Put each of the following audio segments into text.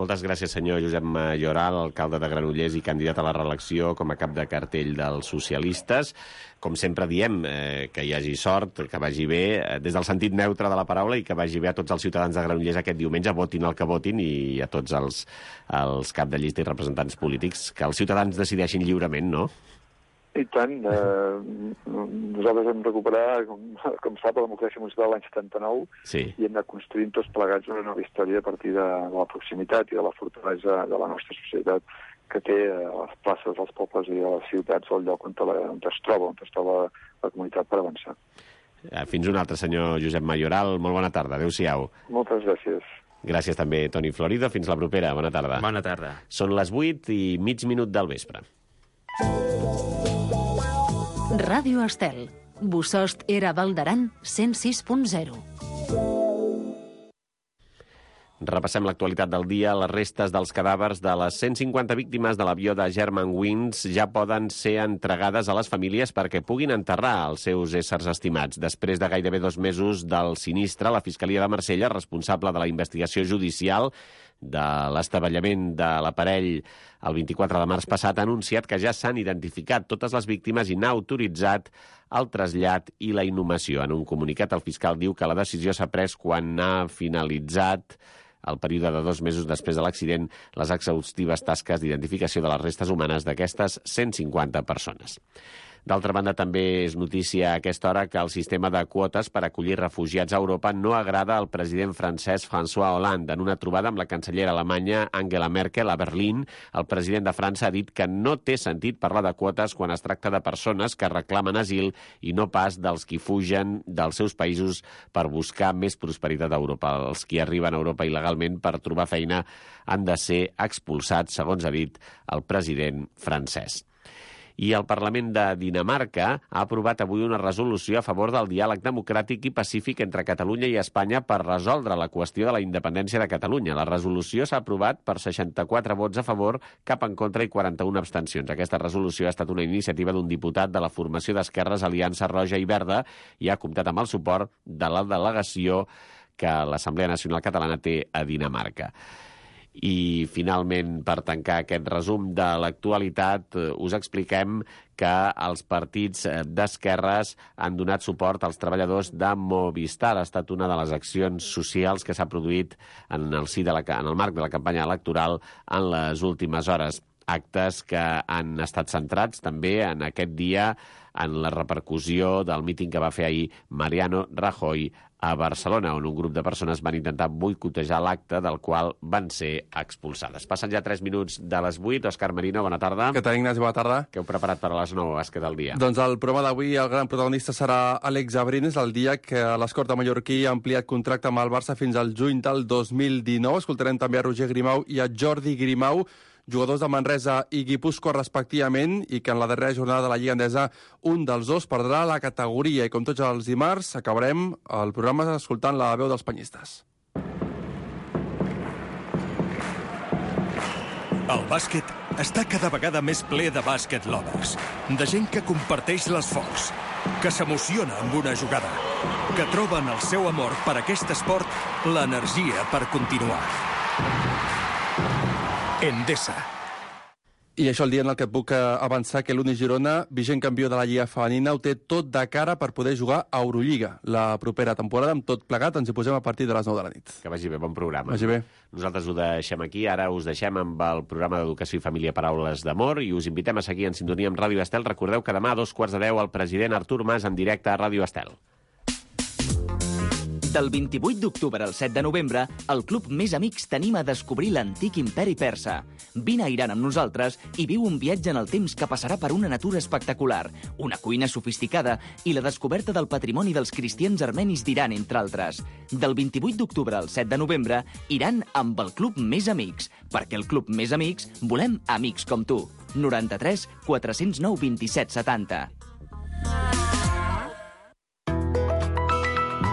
Moltes gràcies, senyor Josep Mayoral, alcalde de Granollers i candidat a la reelecció com a cap de cartell dels socialistes. Com sempre diem, que hi hagi sort, que vagi bé, des del sentit neutre de la paraula, i que vagi bé a tots els ciutadans de Granollers aquest diumenge, votin el que votin, i a tots els cap de llista i representants polítics, que els ciutadans decideixin lliurement, no? I tant. Nosaltres hem recuperat, com sap, la democràcia municipal l'any 79, sí. I hem anat construint tots plegats una nova història a partir de la proximitat i de la fortalesa de la nostra societat, que té a les places dels pobles i a les ciutats el lloc on es troba la comunitat per avançar. Fins un altre, senyor Josep Mayoral. Molt bona tarda. Adéu-siau. Moltes gràcies. Gràcies també, Toni Florido. Fins la propera. Bona tarda. Bona tarda. Són les 8:08 del vespre. Ràdio Estel. Bossòst era Val d'Aran, 106.0. Repassem l'actualitat del dia. Les restes dels cadàvers de les 150 víctimes de l'avió de Germanwings ja poden ser entregades a les famílies perquè puguin enterrar els seus éssers estimats. Després de gairebé 2 mesos del sinistre, la Fiscalia de Marsella, responsable de la investigació judicial de l'estavellament de l'aparell el 24 de març passat, ha anunciat que ja s'han identificat totes les víctimes i n'ha autoritzat el trasllat i la inhumació. En un comunicat, el fiscal diu que la decisió s'ha pres quan ha finalitzat el període de 2 mesos després de l'accident les exhaustives tasques d'identificació de les restes humanes d'aquestes 150 persones. D'altra banda, també és notícia a aquesta hora que el sistema de quotes per acollir refugiats a Europa no agrada al president francès François Hollande. En una trobada amb la cancellera alemanya Angela Merkel a Berlín, el president de França ha dit que no té sentit parlar de quotes quan es tracta de persones que reclamen asil i no pas dels qui fugen dels seus països per buscar més prosperitat a Europa. Els qui arriben a Europa il·legalment per trobar feina han de ser expulsats, segons ha dit el president francès. I el Parlament de Dinamarca ha aprovat avui una resolució a favor del diàleg democràtic i pacífic entre Catalunya i Espanya per resoldre la qüestió de la independència de Catalunya. La resolució s'ha aprovat per 64 vots a favor, cap en contra i 41 abstencions. Aquesta resolució ha estat una iniciativa d'un diputat de la formació d'esquerres Aliança Roja i Verda i ha comptat amb el suport de la delegació que l'Assemblea Nacional Catalana té a Dinamarca. I, finalment, per tancar aquest resum de l'actualitat, us expliquem que els partits d'esquerres han donat suport als treballadors de Movistar. Ha estat una de les accions socials que s'ha produït en el marc de la campanya electoral en les últimes hores. Actes que han estat centrats també en aquest dia en la repercussió del míting que va fer ahir Mariano Rajoy a Barcelona, on un grup de persones van intentar boicotejar l'acte, del qual van ser expulsades. Passen ja 3 minuts de les 8. Òscar Merino, bona tarda. Què tal, Ignasi? Bona tarda. Què heu preparat per a les 9, bàsquet del dia? Doncs el programa d'avui, el gran protagonista serà Àlex Abrines, el dia que l'escorta mallorquí ha ampliat contracte amb el Barça fins al juny del 2019. Escoltarem també a Roger Grimau i a Jordi Grimau, jugadors de Manresa i Guipúscoa respectivament, i que en la darrera jornada de la Lliga Endesa un dels dos perdrà la categoria. I com tots els dimarts, acabarem el programa escoltant la veu dels penyistes. El bàsquet està cada vegada més ple de bàsquet lovers, de gent que comparteix l'esforç, que s'emociona amb una jugada, que troben el seu amor per aquest esport l'energia per continuar. Endesa. I això el dia en el que et puc avançar que l'Uni Girona, vigent campió de la Lliga Femenina, ho té tot de cara per poder jugar a Eurolliga la propera temporada. Amb tot plegat ens hi posem a partir de les 9 de la nit. Que vagi bé, bon programa. Vagi bé. Nosaltres ho deixem aquí, ara us deixem amb el programa d'Educació i Família Paraules d'Amor i us invitem a seguir en sintonia amb Ràdio Estel. Recordeu que demà a 2:15 el president Artur Mas en directe a Ràdio Estel. Del 28 d'octubre al 7 de novembre, el Club Més Amics t'anima a descobrir l'antic imperi persa. Vine a Iran amb nosaltres i viu un viatge en el temps que passarà per una natura espectacular, una cuina sofisticada i la descoberta del patrimoni dels cristians armenis d'Iran, entre altres. Del 28 d'octubre al 7 de novembre, Iran amb el Club Més Amics, perquè el Club Més Amics volem amics com tu. 93 409 27 70.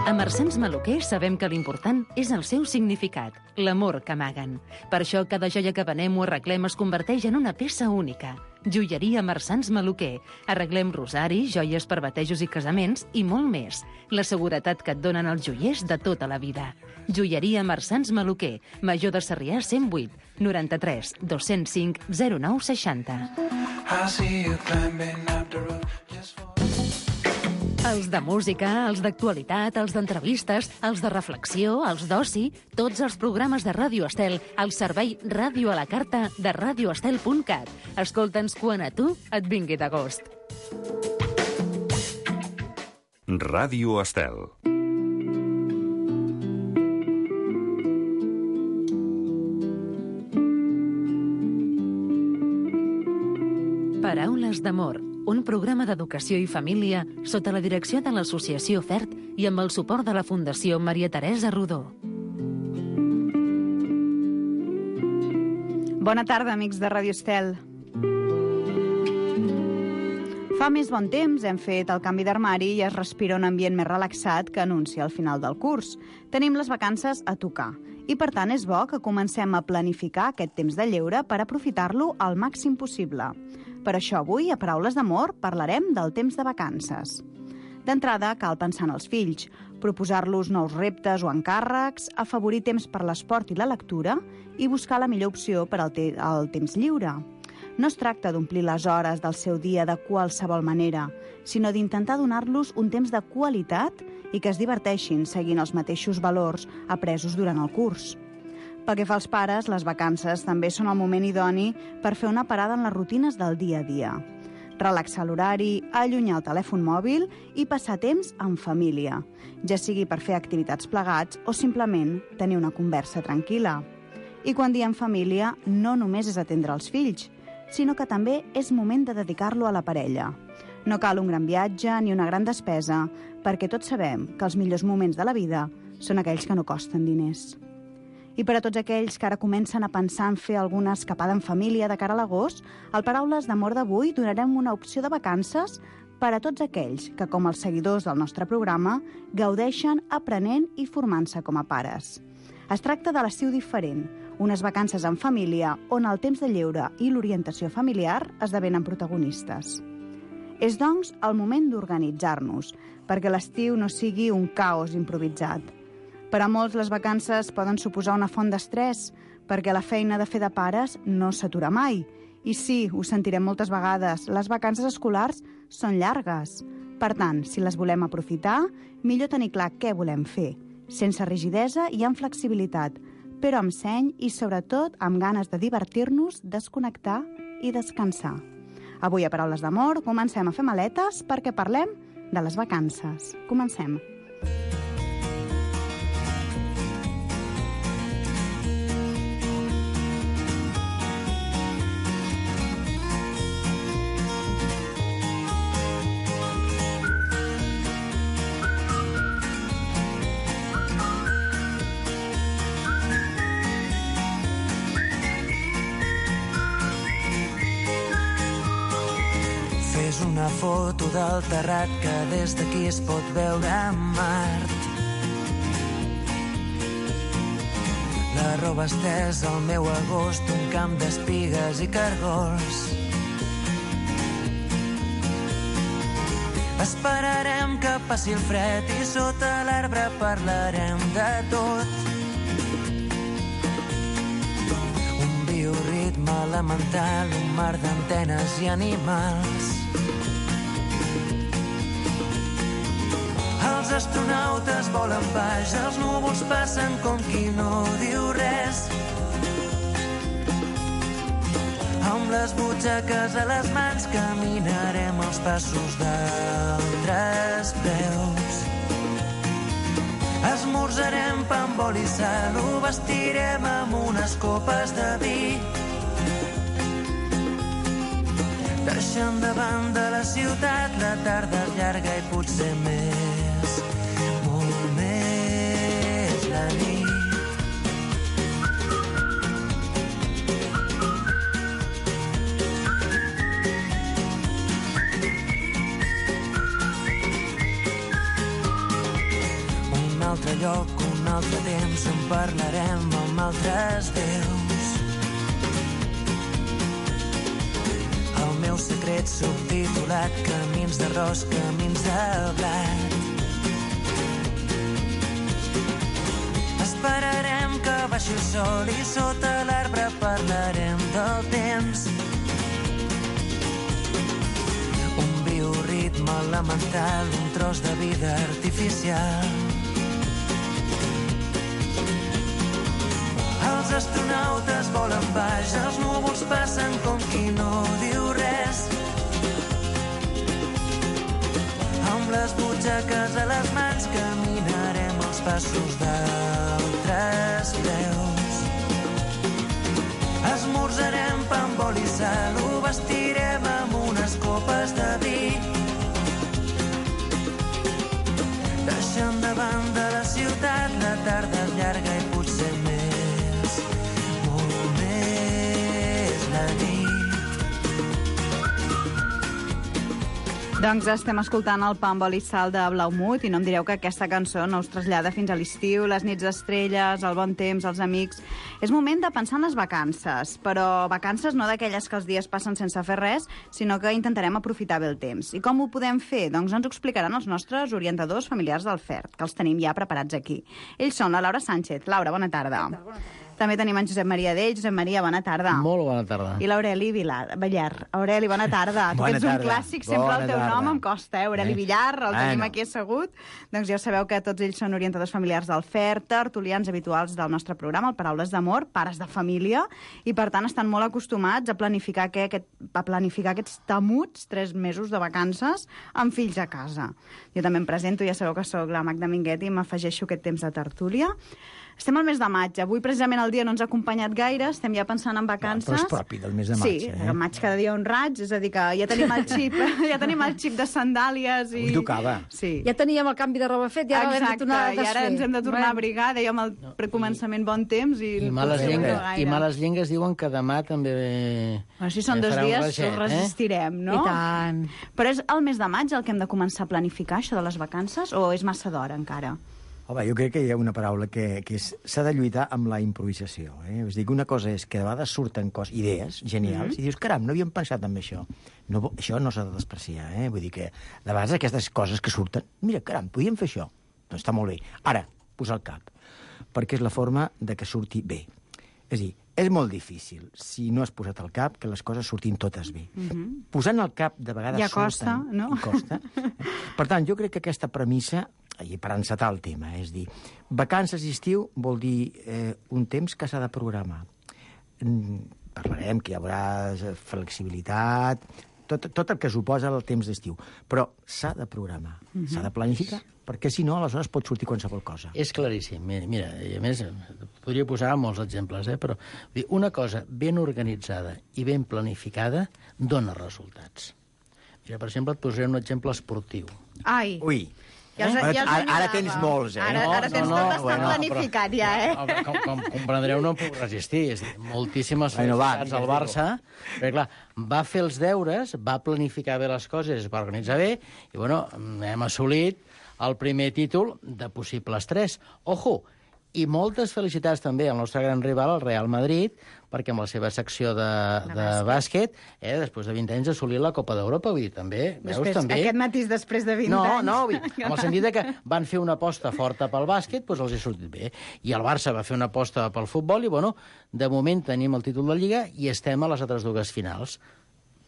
A Marsens Maluquer sabem que l'important és el seu significat, l'amor que amaguen. Per això cada joia que venem o arreglem es converteix en una peça única. Joieria Marsans Maluquer. Arreglem rosaris, joies per batejos i casaments i molt més. La seguretat que et donen els joiers de tota la vida. Joieria Marsans Maluquer. Major de Sarrià 108 93 205 09 60. Els de música, els d'actualitat, els d'entrevistes, els de reflexió, els d'oci, tots els programes de Ràdio Estel al servei Ràdio a la Carta de radioestel.cat. Escolta'ns quan a tu et vingui de gust. Ràdio Estel. Paraules d'amor, un programa d'educació i família sota la direcció de l'Associació FERT i amb el suport de la Fundació Maria Teresa Rodó. Bona tarda, amics de Ràdio Estel. Fa més bon temps hem fet el canvi d'armari i es respira un ambient més relaxat que anuncia el final del curs. Tenim les vacances a tocar i, per tant, és bo que comencem a planificar aquest temps de lleure per aprofitar-lo al màxim possible. Per això avui, a Paraules d'Amor, parlarem del temps de vacances. D'entrada, cal pensar en els fills, proposar-los nous reptes o encàrrecs, afavorir temps per l'esport i la lectura i buscar la millor opció per al temps lliure. No es tracta d'omplir les hores del seu dia de qualsevol manera, sinó d'intentar donar-los un temps de qualitat i que es diverteixin seguint els mateixos valors apresos durant el curs. Pel que fa als pares, les vacances també són el moment idoni per fer una parada en les rutines del dia a dia. Relaxar l'horari, allunyar el telèfon mòbil i passar temps en família, ja sigui per fer activitats plegats o simplement tenir una conversa tranquil·la. I quan diem família, no només és atendre els fills, sinó que també és moment de dedicar-lo a la parella. No cal un gran viatge ni una gran despesa, perquè tots sabem que els millors moments de la vida són aquells que no costen diners. I per a tots aquells que ara comencen a pensar en fer alguna escapada en família de cara a l'agost, al Paraules d'Amor d'avui donarem una opció de vacances per a tots aquells que, com els seguidors del nostre programa, gaudeixen aprenent i formant-se com a pares. Es tracta de l'estiu diferent, unes vacances en família on el temps de lleure i l'orientació familiar esdevenen protagonistes. És, doncs, el moment d'organitzar-nos, perquè l'estiu no sigui un caos improvisat. Per a molts, les vacances poden suposar una font d'estrès, perquè la feina de fer de pares no s'atura mai. I sí, ho sentirem moltes vegades, les vacances escolars són llargues. Per tant, si les volem aprofitar, millor tenir clar què volem fer, sense rigidesa i amb flexibilitat, però amb seny i, sobretot, amb ganes de divertir-nos, desconnectar i descansar. Avui, a Paraules d'Amor, comencem a fer maletes perquè parlem de les vacances. Comencem. Fes una foto del terrat que des d'aquí es pot veure Mart. La roba estesa al meu agost, un camp d'espigues i cargols. Esperarem que passi el fred i sota l'arbre parlarem de tot. Un bioritme elemental, un mar d'antenes i animals. Els astronautes volen baix, els núvols passen com qui no diu res. Amb les butxaques a les mans caminarem els passos d'altres peus. Esmorzarem pa amb oli i sal, ho vestirem amb unes copes de vi. Deixant de banda la ciutat, la tarda és llarga i potser més, molt més la nit. Un altre lloc, un altre temps, on parlarem amb altres déus. El fet subtitulat camins d'arròs, camins de blat. Esperarem que baixi el sol i sota l'arbre parlarem del temps. Un bioritme elemental, un tros de vida artificial. Els astronautes volen baix, els núvols passen com qui no diu res. Amb les butxaques a les mans caminarem els passos d'altres peus. Esmorzarem pa amb oli i sal, ho vestirem amb unes copes de vi. Deixem davant de la ciutat, la tarda és llarga i potser més, molt més la nit. Doncs estem escoltant el Pa amb oli i sal de Blaumut i no em direu que aquesta cançó no us trasllada fins a l'estiu, les nits d'estrelles, el bon temps, els amics. És moment de pensar en les vacances, però vacances no d'aquelles que els dies passen sense fer res, sinó que intentarem aprofitar bé el temps. I com ho podem fer? Doncs ens ho explicaran els nostres orientadors familiars del FERT, que els tenim ja preparats aquí. Ells són la Laura Sánchez. Laura, bona tarda. Bona tarda. També tenim en Josep Maria Dell. Josep Maria, bona tarda. Molt bona tarda. I l'Aureli Villar. Aureli, bona tarda. Tu ets un clàssic, sempre el teu nom em costa, Aureli Villar, el tenim aquí assegut. Doncs ja sabeu que tots ells són orientadors familiars del FERT, tertulians habituals del nostre programa, el Paraules d'Amor, pares de família, i per tant estan molt acostumats a planificar aquests temuts 3 mesos de vacances amb fills a casa. Jo també em presento, ja sabeu que sóc la Magda Minguet i m'afegeixo aquest temps de tertúlia. Estem al mes de maig. Avui, precisament, el dia no ens ha acompanyat gaire. Estem ja pensant en vacances. Però és propi del mes de maig, Sí, al maig cada dia un raig. És a dir, que ja tenim el xip, de sandàlies. I... Avui tocava. Sí. Ja teníem el canvi de roba fet i ara hem de tornar a desfer. I ara ens hem de tornar a abrigar. Dèiem al precomençament bon temps. I males llengues diuen que demà també... Bueno, si són 2 dies, ho resistirem, no? I tant. Però és el mes de maig el que hem de començar a planificar, això de les vacances, o és massa d'hora encara? Home, jo crec que hi ha una paraula que s'ha de lluitar amb la improvisació. És a dir, que una cosa és que de vegades surten idees genials i dius, caram, no havíem pensat en això. No, això no s'ha de despreciar. Vull dir que de vegades aquestes coses que surten, mira, caram, podíem fer això. Doncs està molt bé. Ara, posar el cap, perquè és la forma de que surti bé. És a dir, és molt difícil, si no has posat el cap, que les coses surtin totes bé. Posant el cap, de vegades ja costa, surten, no? I costa. Per tant, jo crec que aquesta premissa, i per encetar el tema, és dir, vacances i estiu vol dir un temps que s'ha de programar. Parlarem que hi haurà flexibilitat, tot el que suposa el temps d'estiu, però s'ha de programar, s'ha de planificar, perquè si no, aleshores pot sortir qualsevol cosa. És claríssim. Mira, i a més, podria posar molts exemples, però una cosa ben organitzada i ben planificada dona resultats. Mira, per exemple, et posaré un exemple esportiu. Ai! Ui! Ara tens molts, Ara tens tot estat planificat, ja, Com comprendreu, no em puc resistir. Moltíssimes felicitats al Barça. Perquè, clar, va fer els deures, va planificar bé les coses, va organitzar bé, i, bueno, hem assolit el primer títol de possibles 3. Ojo! I moltes felicitats també al nostre gran rival, el Real Madrid, perquè amb la seva secció de bàsquet, després de 20 anys, ha assolit la Copa d'Europa. Vull dir, també, veus, també... Aquest matís després de 20 anys. No, amb el sentit que van fer una aposta forta pel bàsquet, doncs els ha sortit bé. I el Barça va fer una aposta pel futbol i, bueno, de moment tenim el títol de Lliga i estem a les altres 2 finals.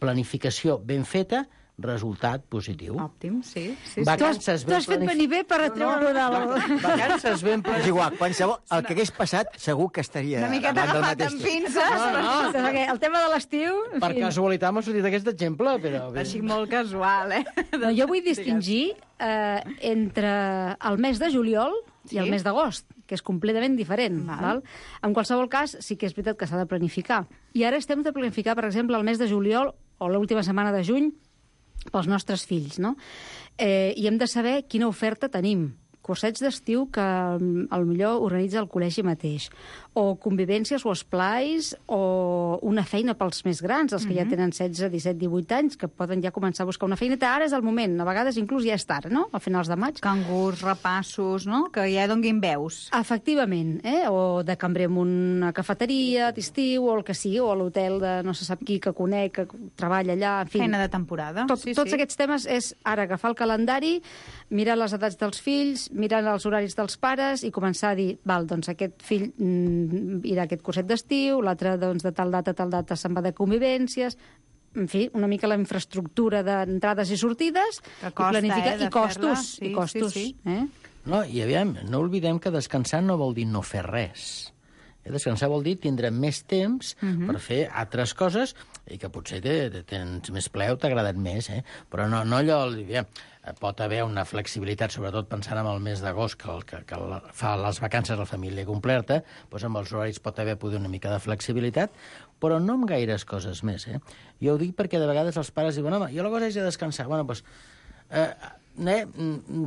Planificació ben feta, resultat positiu. Òptim, sí. Vacances tu has fet venir bé per atreure Vacances ben planificades. És igual, qualsevol... El que hagués passat segur que estaria... Una miqueta agafat amb pinces. No. El tema de l'estiu... Per casualitat m'ha sortit aquest exemple, però... Així molt casual, No, jo vull distingir entre el mes de juliol i el mes d'agost, que és completament diferent. Val? En qualsevol cas, sí que és veritat que s'ha de planificar. I ara estem de planificar, per exemple, el mes de juliol o l'última setmana de juny pels nostres fills, no? I hem de saber quina oferta tenim. Cursets d'estiu que potser organitza el col·legi mateix. o convivències o esplais o una feina pels més grans, els que ja tenen 16, 17, 18 anys, que poden ja començar a buscar una feineta. Ara és el moment, a vegades inclús ja és tard, no?, a finals de maig. Cangurs, repassos, no?, que ja donguin veus. Efectivament, o de cambrer en una cafeteria d'estiu, o el que sigui, o a l'hotel de no se sap qui que conec, que treballa allà, en fi. Feina de temporada. Tots aquests temes és ara agafar el calendari, mirar les edats dels fills, mirar els horaris dels pares i començar a dir, val, doncs aquest fill irà a aquest curset d'estiu, l'altre doncs, de tal data se'n va de convivències, en fi, una mica la infraestructura d'entrades i sortides, que costa, i planificar, i costos. Sí, i costos. Sí. No, i aviam, no oblidem que descansar no vol dir no fer res. Descansar vol dir tindre més temps per fer altres coses i que potser tens més ple o t'ha agradat més, però no allò... Pot haver una flexibilitat, sobretot pensant en el mes d'agost, que fa les vacances a la família completa, doncs amb els horaris pot haver poder una mica de flexibilitat, però no amb gaires coses més. Jo ho dic perquè de vegades els pares diuen, home, jo la cosa és de descansar. Bueno, doncs...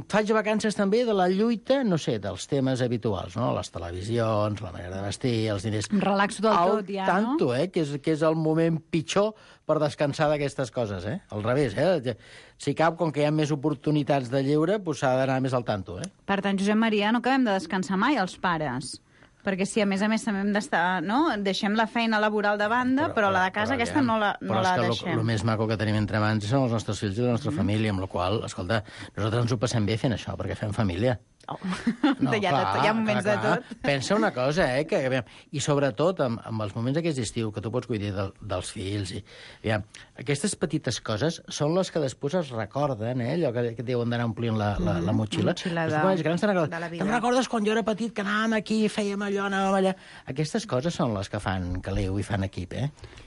faig vacances també de la lluita, no sé, dels temes habituals, no? Les televisions, la manera de vestir, els diners... Em relaxo del tot, ja, tanto, no? Que és el moment pitjor per descansar d'aquestes coses, Al revés, Si cap, com que hi ha més oportunitats de lleure, doncs s'ha d'anar més al tanto, Per tant, Josep Maria, no acabem de descansar mai, els pares. Perquè si, a més també hem d'estar... No? Deixem la feina laboral de banda, però la de casa aquesta no la deixem. Però el més maco que tenim entre mans són els nostres fills i la nostra família, amb la qual, escolta, nosaltres ens ho passem bé fent això, perquè fem família. Oh. No, hi ha moments de tot. Pensa una cosa, i sobretot amb els moments aquests d'estiu, que tu pots cuidar dels fills, aquestes petites coses són les que després es recorden, allò que deuen d'anar omplint la motxilla. La motxilla de la vida. Te'n recordes quan jo era petit que anàvem aquí, fèiem allò, anàvem allà... Aquestes coses són les que fan caliu i fan equip,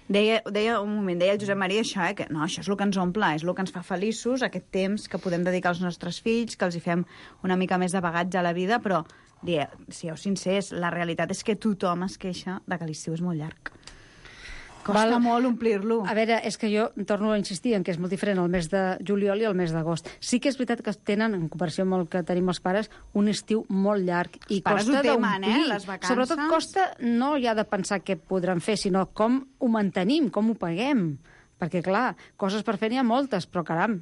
Deia un moment, deia el Josep Maria això, que no, això és el que ens omple, és el que ens fa feliços, aquest temps que podem dedicar als nostres fills, que els hi fem una mica més de bagatge a la vida, però, sigueu sincers, la realitat és que tothom es queixa de que l'estiu és molt llarg. Costa molt omplir-lo. A veure, és que jo torno a insistir en que és molt diferent el mes de juliol i el mes d'agost. Sí que és veritat que tenen, en comparació amb el que tenim els pares, un estiu molt llarg i costa d'omplir. Les vacances. Sobretot costa no ja de pensar què podran fer, sinó com ho mantenim, com ho paguem. Perquè, clar, coses per fer n'hi ha moltes, però, caram,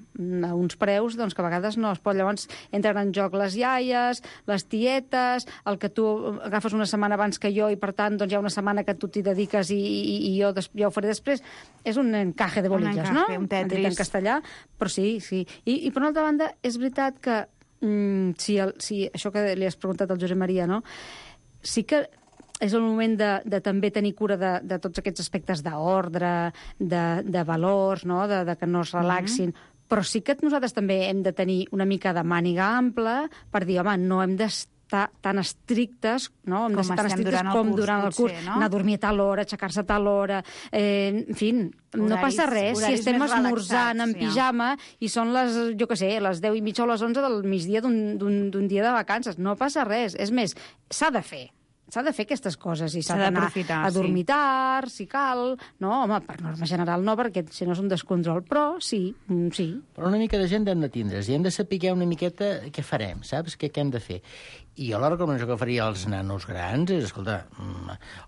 a uns preus doncs, que a vegades no es pot. Llavors entren en joc les iaies, les tietes, el que tu agafes una setmana abans que jo i, per tant, doncs hi ha una setmana que tu t'hi dediques i jo ho faré després. És un encaje de bolillas, no? Un tetris. En castellà, però sí. I per una altra banda, és veritat que si això que li has preguntat al Josep Maria, no? Sí que és el moment de també tenir cura de tots aquests aspectes d'ordre, de valors, no? de que no es relaxin. Però sí que nosaltres també hem de tenir una mica de màniga ampla per dir, home, no hem d'estar tan estrictes, no? Hem de ser tan estrictes com durant el curs. No? Anar a dormir a tal hora, aixecar-se a tal hora... En fi, no passa res si estem esmorzant en pijama i són les, jo què sé, les 10 i mitja o les 11 del migdia d'un dia de vacances. No passa res. És més, s'ha de fer aquestes coses i s'ha d'anar a dormir tard, si cal, no? Home, per norma general no, perquè si no és un descontrol, però sí. Però una mica de gent hem de tindre's i hem de saber una miqueta què farem, saps? Què hem de fer. I jo la recomanació que faria als nanos grans és, escolta,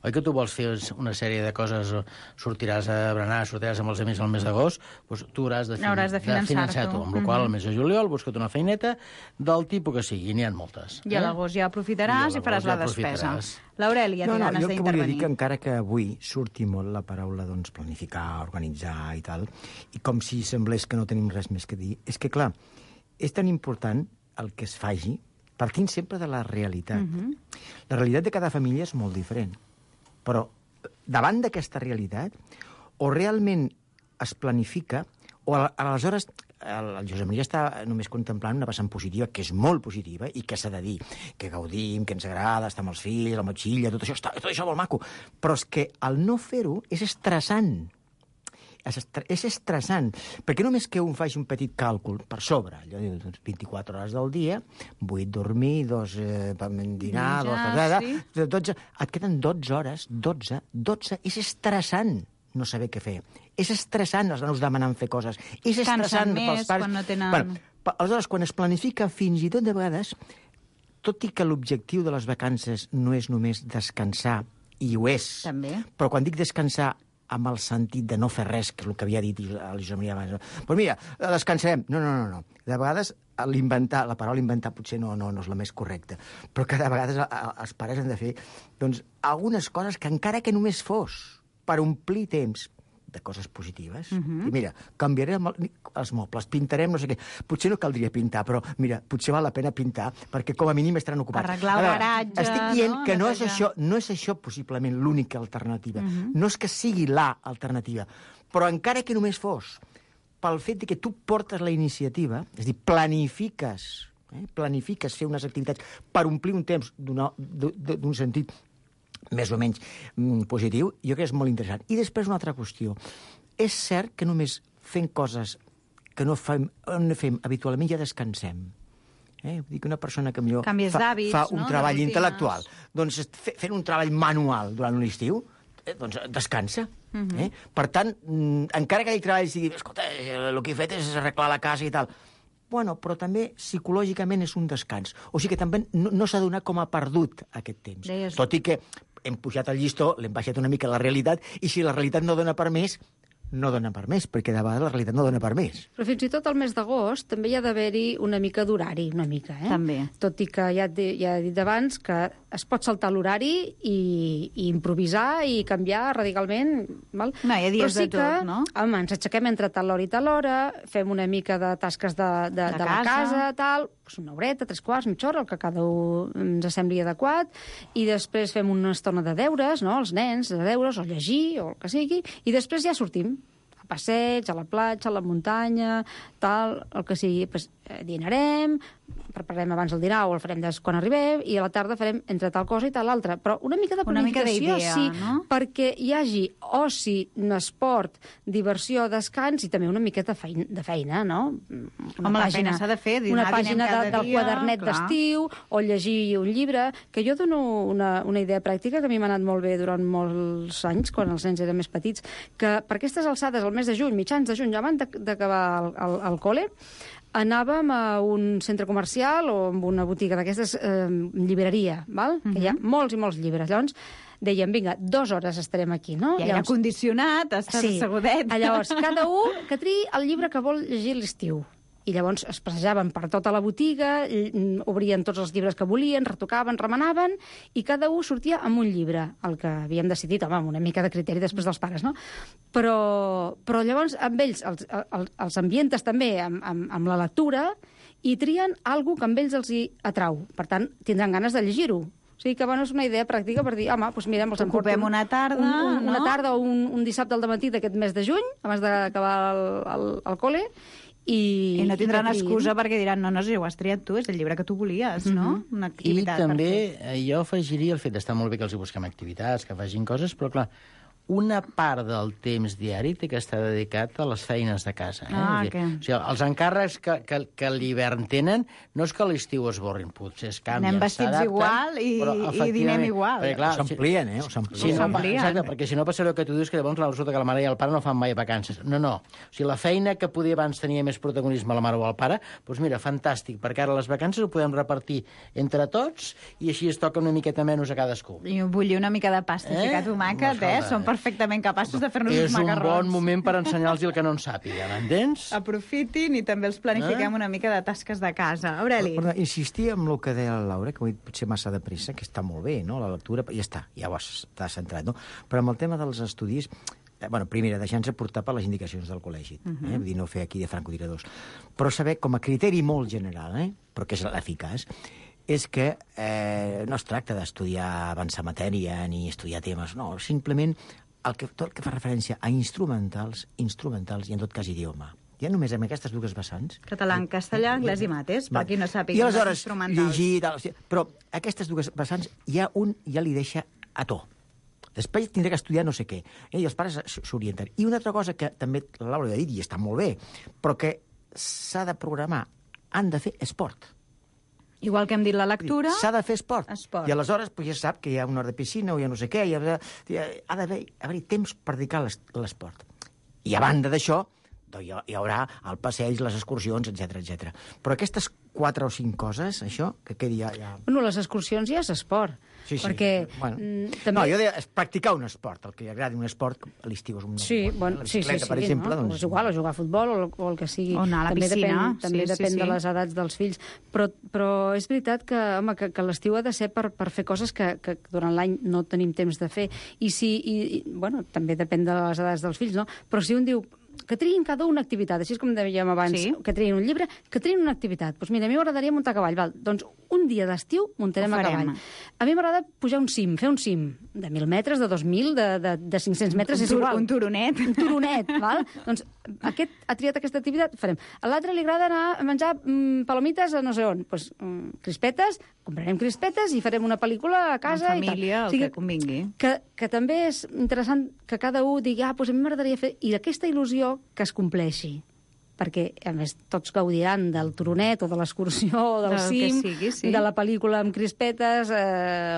oi que tu vols fer una sèrie de coses, sortiràs a berenar, sortiràs amb els amics al mes d'agost, doncs tu hauràs de finançar tu. Amb la qual al mes de juliol busca't una feineta del tipus que sigui, n'hi ha moltes. I a l'agost ja aprofitaràs i faràs la despesa. L'Aurèlia té ganes d'intervenir. Jo que volia dir que encara que avui surti molt la paraula doncs, planificar, organitzar i tal, i com si semblés que no tenim res més que dir, és que, clar, és tan important el que es faci partint sempre de la realitat. La realitat de cada família és molt diferent. Però davant d'aquesta realitat, o realment es planifica, o aleshores el Josep Maria està només contemplant una vessant positiva, que és molt positiva, i que s'ha de dir, que gaudim, que ens agrada estar amb els fills, la motxilla, tot això molt maco. Però és que el no fer-ho és estressant. És estressant, perquè només que un faci un petit càlcul per sobre, allò diu 24 hores del dia, 8 dormir, 2 dinar, 12, et queden 12 hores, 12, és estressant no saber què fer. És estressant els nanos demanant fer coses. És estressant pels pares. Quan no tenen... Aleshores, quan es planifica fins i tot de vegades, tot i que l'objectiu de les vacances no és només descansar i ho és. També. Però quan dic descansar amb el sentit de no fer res, que és el que havia dit el Josep Maria abans, doncs mira, descansarem. No. De vegades la paraula inventar potser no és la més correcta, però que de vegades els pares han de fer doncs, algunes coses que encara que només fos per omplir temps de coses positives. I mira, canviarem els mobles, pintarem no sé què. Potser no caldria pintar, però mira, potser val la pena pintar, perquè com a mínim estaran ocupats. Arreglar el garatge... Estic dient que no és això possiblement l'única alternativa. No és que sigui l'alternativa, però encara que només fos pel fet que tu portes la iniciativa, és a dir, planifiques fer unes activitats per omplir un temps d'un sentit més o menys positiu, jo crec que és molt interessant. I després una altra qüestió. És cert que només fent coses que no fem habitualment ja descansem. Vull dir que una persona que millor fa un treball intel·lectual, doncs fent un treball manual durant l'estiu, doncs descansa. Per tant, encara que aquell treball sigui, escolta, el que he fet és arreglar la casa i tal, bueno, però també psicològicament és un descans. O sigui que també no s'ha donat com a perdut aquest temps. Tot i que hem pujat el llistó, l'hem baixat una mica la realitat, i si la realitat no dona per més, no dona per més, perquè de vegades la realitat no dona per més. Però fins i tot al mes d'agost també hi ha d'haver-hi una mica d'horari, una mica, També. Tot i que ja he dit abans que es pot saltar l'horari i improvisar i canviar radicalment. Val? No, hi ha dies de tot, no? Home, ens aixequem entre tal hora i tal hora, fem una mica de tasques de la casa, tal, una horeta, 3/4, mitja hora, el que cada un ens sembli adequat, i després fem una estona de deures, no?, els nens, de deures, o llegir, o el que sigui, i després ja sortim a passeig, a la platja, a la muntanya, tal, el que sigui. Pues, dinarem, prepararem abans el dinar o el farem quan arribem, i a la tarda farem entre tal cosa i tal altra. Però una mica de planificació, sí, perquè hi hagi oci, esport, diversió, descans i també una miqueta de feina, no? Home, la feina s'ha de fer. Una pàgina del quadernet d'estiu o llegir un llibre, que jo dono una idea pràctica que a mi m'ha anat molt bé durant molts anys, quan els nens eren més petits, que per aquestes alçades, al mes de juny, mitjans de juny, ja abans d'acabar el col·le, anàvem a un centre comercial o a una botiga d'aquestes, llibreria, val? Que hi ha molts i molts llibres. Llavors, dèiem, vinga, 2 hores estarem aquí, no? I aire condicionat, estàs assegudet. Llavors, cada un que triï el llibre que vol llegir a l'estiu. I llavors es passejaven per tota la botiga, obrien tots els llibres que volien, retocaven, remenaven, i cada un sortia amb un llibre, el que havíem decidit, home, amb una mica de criteri després dels pares, no? Però llavors amb ells els ambientes també amb la lectura i trien alguna que amb ells els hi atrau. Per tant, tindran ganes de llegir-ho. O sigui que, bueno, és una idea pràctica per dir, home, doncs mirem, els emporto una tarda, una tarda o un dissabte al dematí d'aquest mes de juny, abans d'acabar el col·le, i no tindran excusa perquè diran, no, si ho has triat tu, és el llibre que tu volies, no? Una activitat. I també jo afegiria el fet d'estar molt bé que els hi busquem activitats, que facin coses, però clar, una part del temps diari té que estar dedicat a les feines de casa. O sigui, els encàrrecs que l'hivern tenen no és que a l'estiu es borrin, potser es canvien, anem vestits igual i dinem igual. S'amplien, Exacte, perquè si no passa allò que tu dius, que llavors resulta que la mare i el pare no fan mai vacances. No. O sigui, la feina que podia abans tenia més protagonisme la mare o el pare, doncs mira, fantàstic, perquè ara les vacances ho podem repartir entre tots i així es toca una miqueta menys a cadascú. I bullir una mica de pasta i ficar tomàquet, són perfectament capaços de fer-nos uns macarrons. És un bon moment per ensenyar-los el que no en sàpiga, m'entens? Aprofitin i també els planifiquem una mica de tasques de casa. Aureli. Però insistir en el que deia la Laura, que ho he dit potser massa de pressa, que està molt bé, no?, la lectura, ja està, ja ho has centrat, no? Però amb el tema dels estudis, primera, deixant-se portar per les indicacions del col·legi, vull dir, no fer aquí de francotiradors, però saber, com a criteri molt general, però que és l'eficaç, és que no es tracta d'estudiar, avançar matèria, ni estudiar temes, no, simplement tot el que fa referència a instrumentals i en tot cas idioma. Ja només amb aquestes dues vessants. Català, castellà, anglès i mates, per qui no sàpiga. I aleshores llegir... Però aquestes dues vessants ja li deixa a to. Després tindrà que estudiar no sé què. I els pares s'orienten. I una altra cosa que també la Laura ha dit, i està molt bé, però que s'ha de programar, han de fer esport. Igual que hem dit la lectura... S'ha de fer esport. I aleshores ja sap que hi ha una hora de piscina o ja no sé què, ha d'haver-hi temps per dedicar a l'esport. I a banda d'això, hi haurà el passeig, les excursions, etc. Però aquestes 4 o 5 coses, això, que quedi ja... Bueno, les excursions ja és esport. Sí, perquè... Bueno. També... No, jo deia, és practicar un esport, el que li agradi un esport, a l'estiu és un... Sí, bueno, la bicicleta, per exemple, no? doncs... O jugar a futbol o el que sigui. O anar a la piscina. També depèn de les edats dels fills. Però és veritat que, home, que l'estiu ha de ser per fer coses que durant l'any no tenim temps de fer. Bueno, també depèn de les edats dels fills, no? Però si un diu que triïn cada una activitat, així com dèiem abans, que triïn un llibre, que triïn una activitat. Doncs mira, a mi m'agradaria muntar a cavall. Val? Doncs un dia d'estiu muntarem a cavall. A mi m'agrada pujar un cim, fer un cim de 1.000 metres, de 2.000, de 500 metres, és igual. Un turonet. Un turonet, val? Doncs aquest ha triat aquesta activitat, farem. A l'altre li agrada anar a menjar palomites a no sé on. Doncs crispetes, comprarem crispetes i farem una pel·lícula a casa. En família, i tal. O sigui, el que convingui. Que també és interessant que cada un digui, doncs a mi m'agradaria fer... I aquesta il·lusió que es compleixi, perquè, a més, tots gaudiran del turonet o de l'excursió o del cim, de la pel·lícula amb crispetes,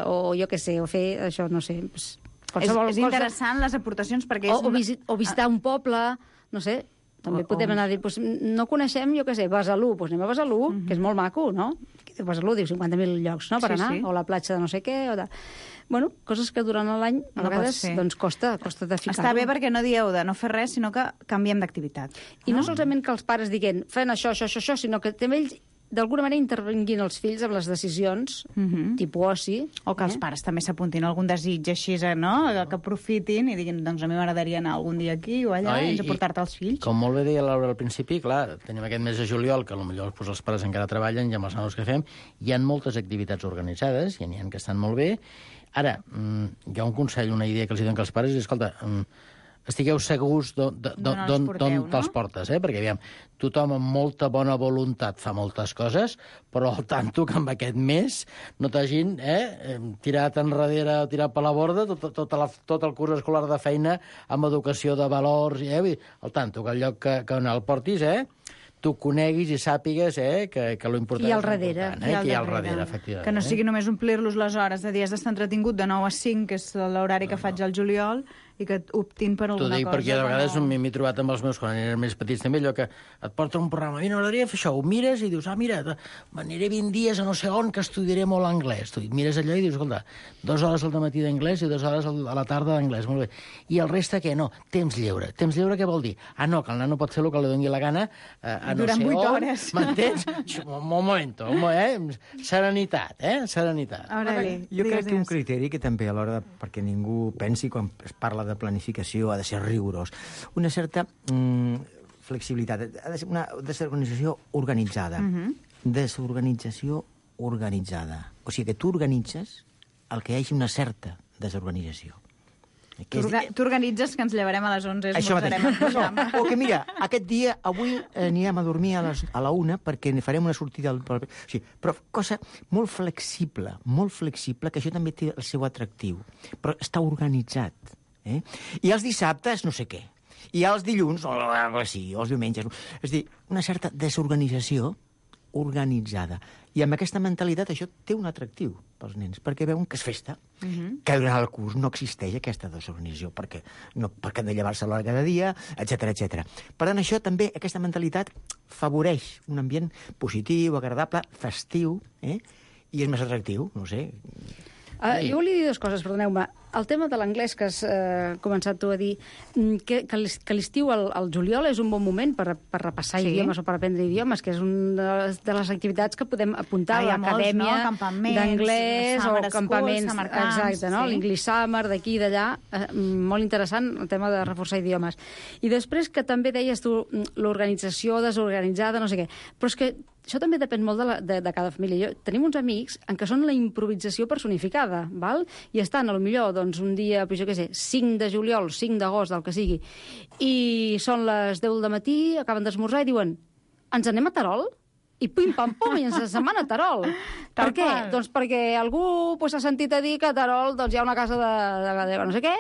o jo què sé, o fer això, no sé... És interessant les aportacions perquè... O visitar un poble, no sé, també podem anar a dir, no coneixem, jo què sé, Besalú, doncs anem a Besalú, que és molt maco, no? Besalú diu 50.000 llocs, no?, per anar, o la platja de no sé què, o de... Bueno, coses que durant l'any a vegades doncs, costa de ficar-ho. Està bé perquè no dieu de no fer res, sinó que canviem d'activitat. I no solament que els pares diguen fent això, sinó que també ells d'alguna manera intervenguin els fills amb les decisions, tipus oci. O que els pares també s'apuntin a algun desig així, no? Que aprofitin i diguin, doncs a mi m'agradaria anar algun dia aquí o allà, a portar-te els fills. Com molt bé deia Laura al principi, clar, tenim aquest mes de juliol, que potser els pares encara treballen i amb els nanos que fem, hi ha moltes activitats organitzades, i n'hi ha que estan molt bé. Ara, hi ha un consell, una idea que els donen als pares, és, escolta, estigueu segurs d'on te'ls portes, perquè, aviam, tothom amb molta bona voluntat fa moltes coses, però al tanto que amb aquest mes no t'hagin tirat enrere o tirat per la borda tot el curs escolar de feina amb educació de valors, al tanto que el lloc que on el portis, tu coneguis i sàpigues que l'important és important. Que hi ha al darrere, efectivament. Que no sigui només omplir-los les hores de dies d'estar entretingut de 9 a 5, que és l'horari que faig al juliol, i que optin per alguna cosa. T'ho dic perquè de vegades m'he trobat amb els meus, quan eren més petits també, allò que et porta un programa, a mi m'agradaria fer això, ho mires i dius, mira, m'aniré 20 dies a no sé on que estudiaré molt anglès. Tu mires allò i dius, escolta, 2 hores al matí d'anglès i 2 hores a la tarda d'anglès, molt bé. I el reste què? No, temps lliure. Temps lliure què vol dir? No, que el nano pot fer el que li doni la gana a no sé on. Durant 8 hores. M'entens? Un moment, serenitat, serenitat. Jo crec que un criteri que també a l'hora, perquè ningú pensi quan es parla de planificació, ha de ser rigorós. Una certa flexibilitat. Ha de ser una desorganització organitzada. Desorganització organitzada. O sigui que tu organitzes el que hi hagi una certa desorganització. Tu organitzes que ens llevarem a les 11, esmorzarem en pijama. O que, mira, aquest dia, avui anirem a dormir a la 1 perquè farem una sortida... Sí, però cosa molt flexible, que això també té el seu atractiu. Però està organitzat. I els dissabtes, no sé què. I els dilluns, o els diumenges. És a dir, una certa desorganització organitzada. I amb aquesta mentalitat això té un atractiu pels nens, perquè veuen que és festa, que durant el curs no existeix aquesta desorganització, perquè han de llevar-se a l'hora cada dia, etc. Per tant, això també, aquesta mentalitat favoreix un ambient positiu, agradable, festiu, i és més atractiu, no sé... Jo volia dir dues coses, perdoneu-me. El tema de l'anglès que has començat tu a dir, que l'estiu al juliol és un bon moment per repassar idiomes o per aprendre idiomes, que és una de les activitats que podem apuntar a l'acadèmia d'anglès o campaments. Exacte, no? L'English Summer, d'aquí i d'allà. Molt interessant, el tema de reforçar idiomes. I després que també deies tu l'organització desorganitzada, no sé què. Però és que això també depèn molt de cada família. Tenim uns amics en què són la improvisació personificada, val? I estan, potser, doncs, un dia, jo què sé, 5 de juliol, 5 d'agost, del que sigui, i són les 10 del matí, acaben d'esmorzar i diuen, ens anem a Terol? I pim-pam-pum, i ens se'n van a Terol. Per què? Doncs perquè algú s'ha sentit a dir que a Terol hi ha una casa de no sé què,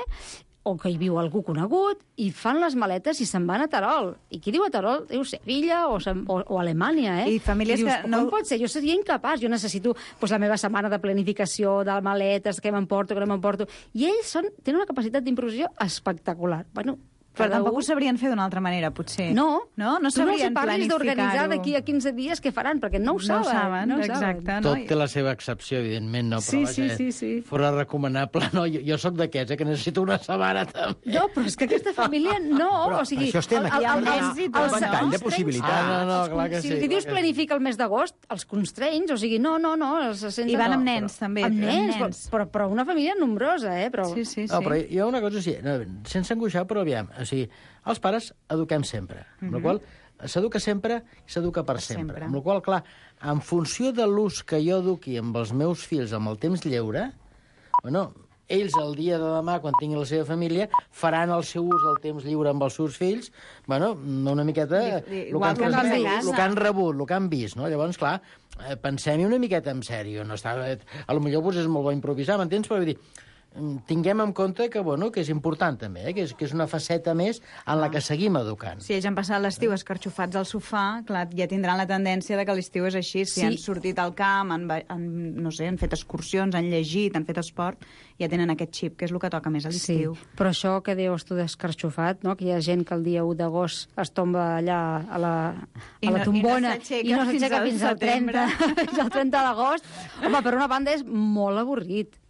o que hi viu algú conegut, i fan les maletes i se'n van a Terol. I qui diu a Terol? Diu Sevilla o Alemanya, I famílies que no... Com pot ser? Jo seria incapaç. Jo necessito la meva setmana de planificació, de maletes, què m'emporto, què no m'emporto. I ells tenen una capacitat d'improvisació espectacular. Bueno, Però tampoc ho sabrien fer d'una altra manera, potser. No, tu no sabrien parlis d'organitzar d'aquí a 15 dies què faran, perquè no ho saben. Exacte. Tot té la seva excepció, evidentment, no? Però sí. Fora recomanable, no? Jo sóc d'aquests, que necessito una setmana també. No, però és que aquesta família no, o sigui... Això estem aquí amb un ventall de possibilitats. No, clar que sí. Si dius planifica el mes d'agost, els constraints, o sigui, no, se senten... I van amb nens, també. Amb nens, però una família nombrosa, Però... Sí. No, però hi ha una cosa, sense angoixar, però aviam, o sigui, els pares eduquem sempre, amb la qual s'educa sempre i s'educa per sempre. Amb la qual, clar, en funció de l'ús que jo eduqui amb els meus fills amb el temps lliure, ells el dia de demà, quan tinguin la seva família, faran el seu ús del temps lliure amb els seus fills, una miqueta el que han rebut, el que han vist, no? Llavors, clar, pensem-hi una miqueta en sèrio. A lo millor és molt bo improvisar, m'entens? Però vull dir, tinguem en compte que és important també, que és una faceta més en la que seguim educant. Si ells han passat l'estiu escarxofats al sofà, clar, ja tindran la tendència de que l'estiu és així. Si han sortit al camp, han fet excursions, han llegit, han fet esport, ja tenen aquest xip, que és el que toca més a l'estiu. Sí, però això que deies tu d'escarxofat, que hi ha gent que el dia 1 d'agost es tomba allà a la tombona i no s'aixeca fins al 30 d'agost, home, per una banda és molt avorrit.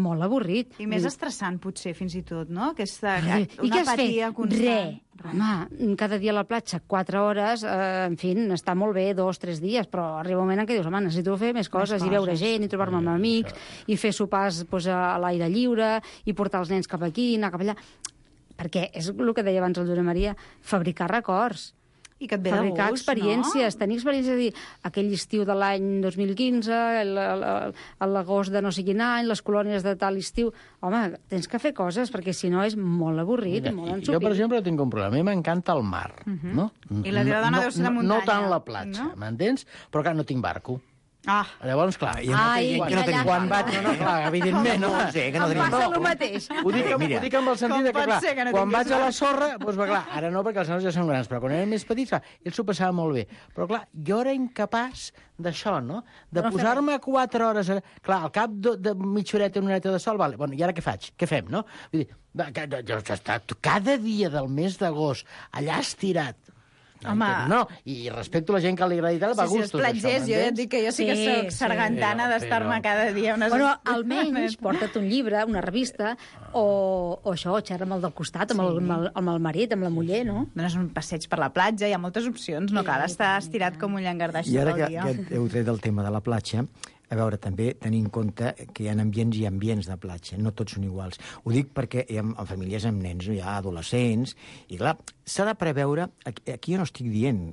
Molt avorrit. I més estressant, potser, fins i tot, no? Aquesta una apatia constant. Home, cada dia a la platja, 4 hores, en fi, està molt bé, 2-3 dies, però arriba un moment en què dius, home, necessito fer més coses, i veure gent, i trobar-me amb amics, i fer sopars a l'aire lliure, i portar els nens cap aquí, anar cap allà. Perquè és el que deia abans el Josep Maria, fabricar records. I que et ve de gust, fabricar experiències, tenir experiències, dir, aquell estiu de l'any 2015, l'agost de no sé quin any, les colònies de tal estiu... Home, tens que fer coses, perquè si no és molt avorrit i molt ensupit. Jo, per exemple, tinc un problema. A mi m'encanta el mar, no? I la teva dona deu ser de muntanya. No tant la platja, m'entens? Però clar, no tinc barco. Llavors, clar, quan vaig... No, clar, evidentment, no sé, que no tenim... Em passa el mateix. Ho dic amb el sentit que, clar, quan vaig a la sorra, doncs, clar, ara no, perquè els nanos ja són grans, però quan eren més petits, clar, ells s'ho passava molt bé. Però, clar, jo era incapaç d'això, no? De posar-me 4 hores... Clar, al cap de mitja horeta, una horeta de sol, vale, bueno, i ara què faig? Què fem, no? Vull dir, cada dia del mes d'agost, allà estirat, no, i respecto a la gent que li agrada i tal, va a gustos. Si és platgers, jo ja et dic que jo sí que soc sargantana d'estar-me cada dia unes... Bueno, almenys porta't un llibre, una revista, o això, xerra amb el del costat, amb el marit, amb la muller, no? Dones un passeig per la platja, hi ha moltes opcions, no cal estar estirat com un llangardaix tot el dia. I ara que heu tret el tema de la platja, a veure, també tenir en compte que hi ha ambients i ambients de platja, no tots són iguals. Ho dic perquè hi ha famílies amb nens, hi ha adolescents, i clar, s'ha de preveure... Aquí jo no estic dient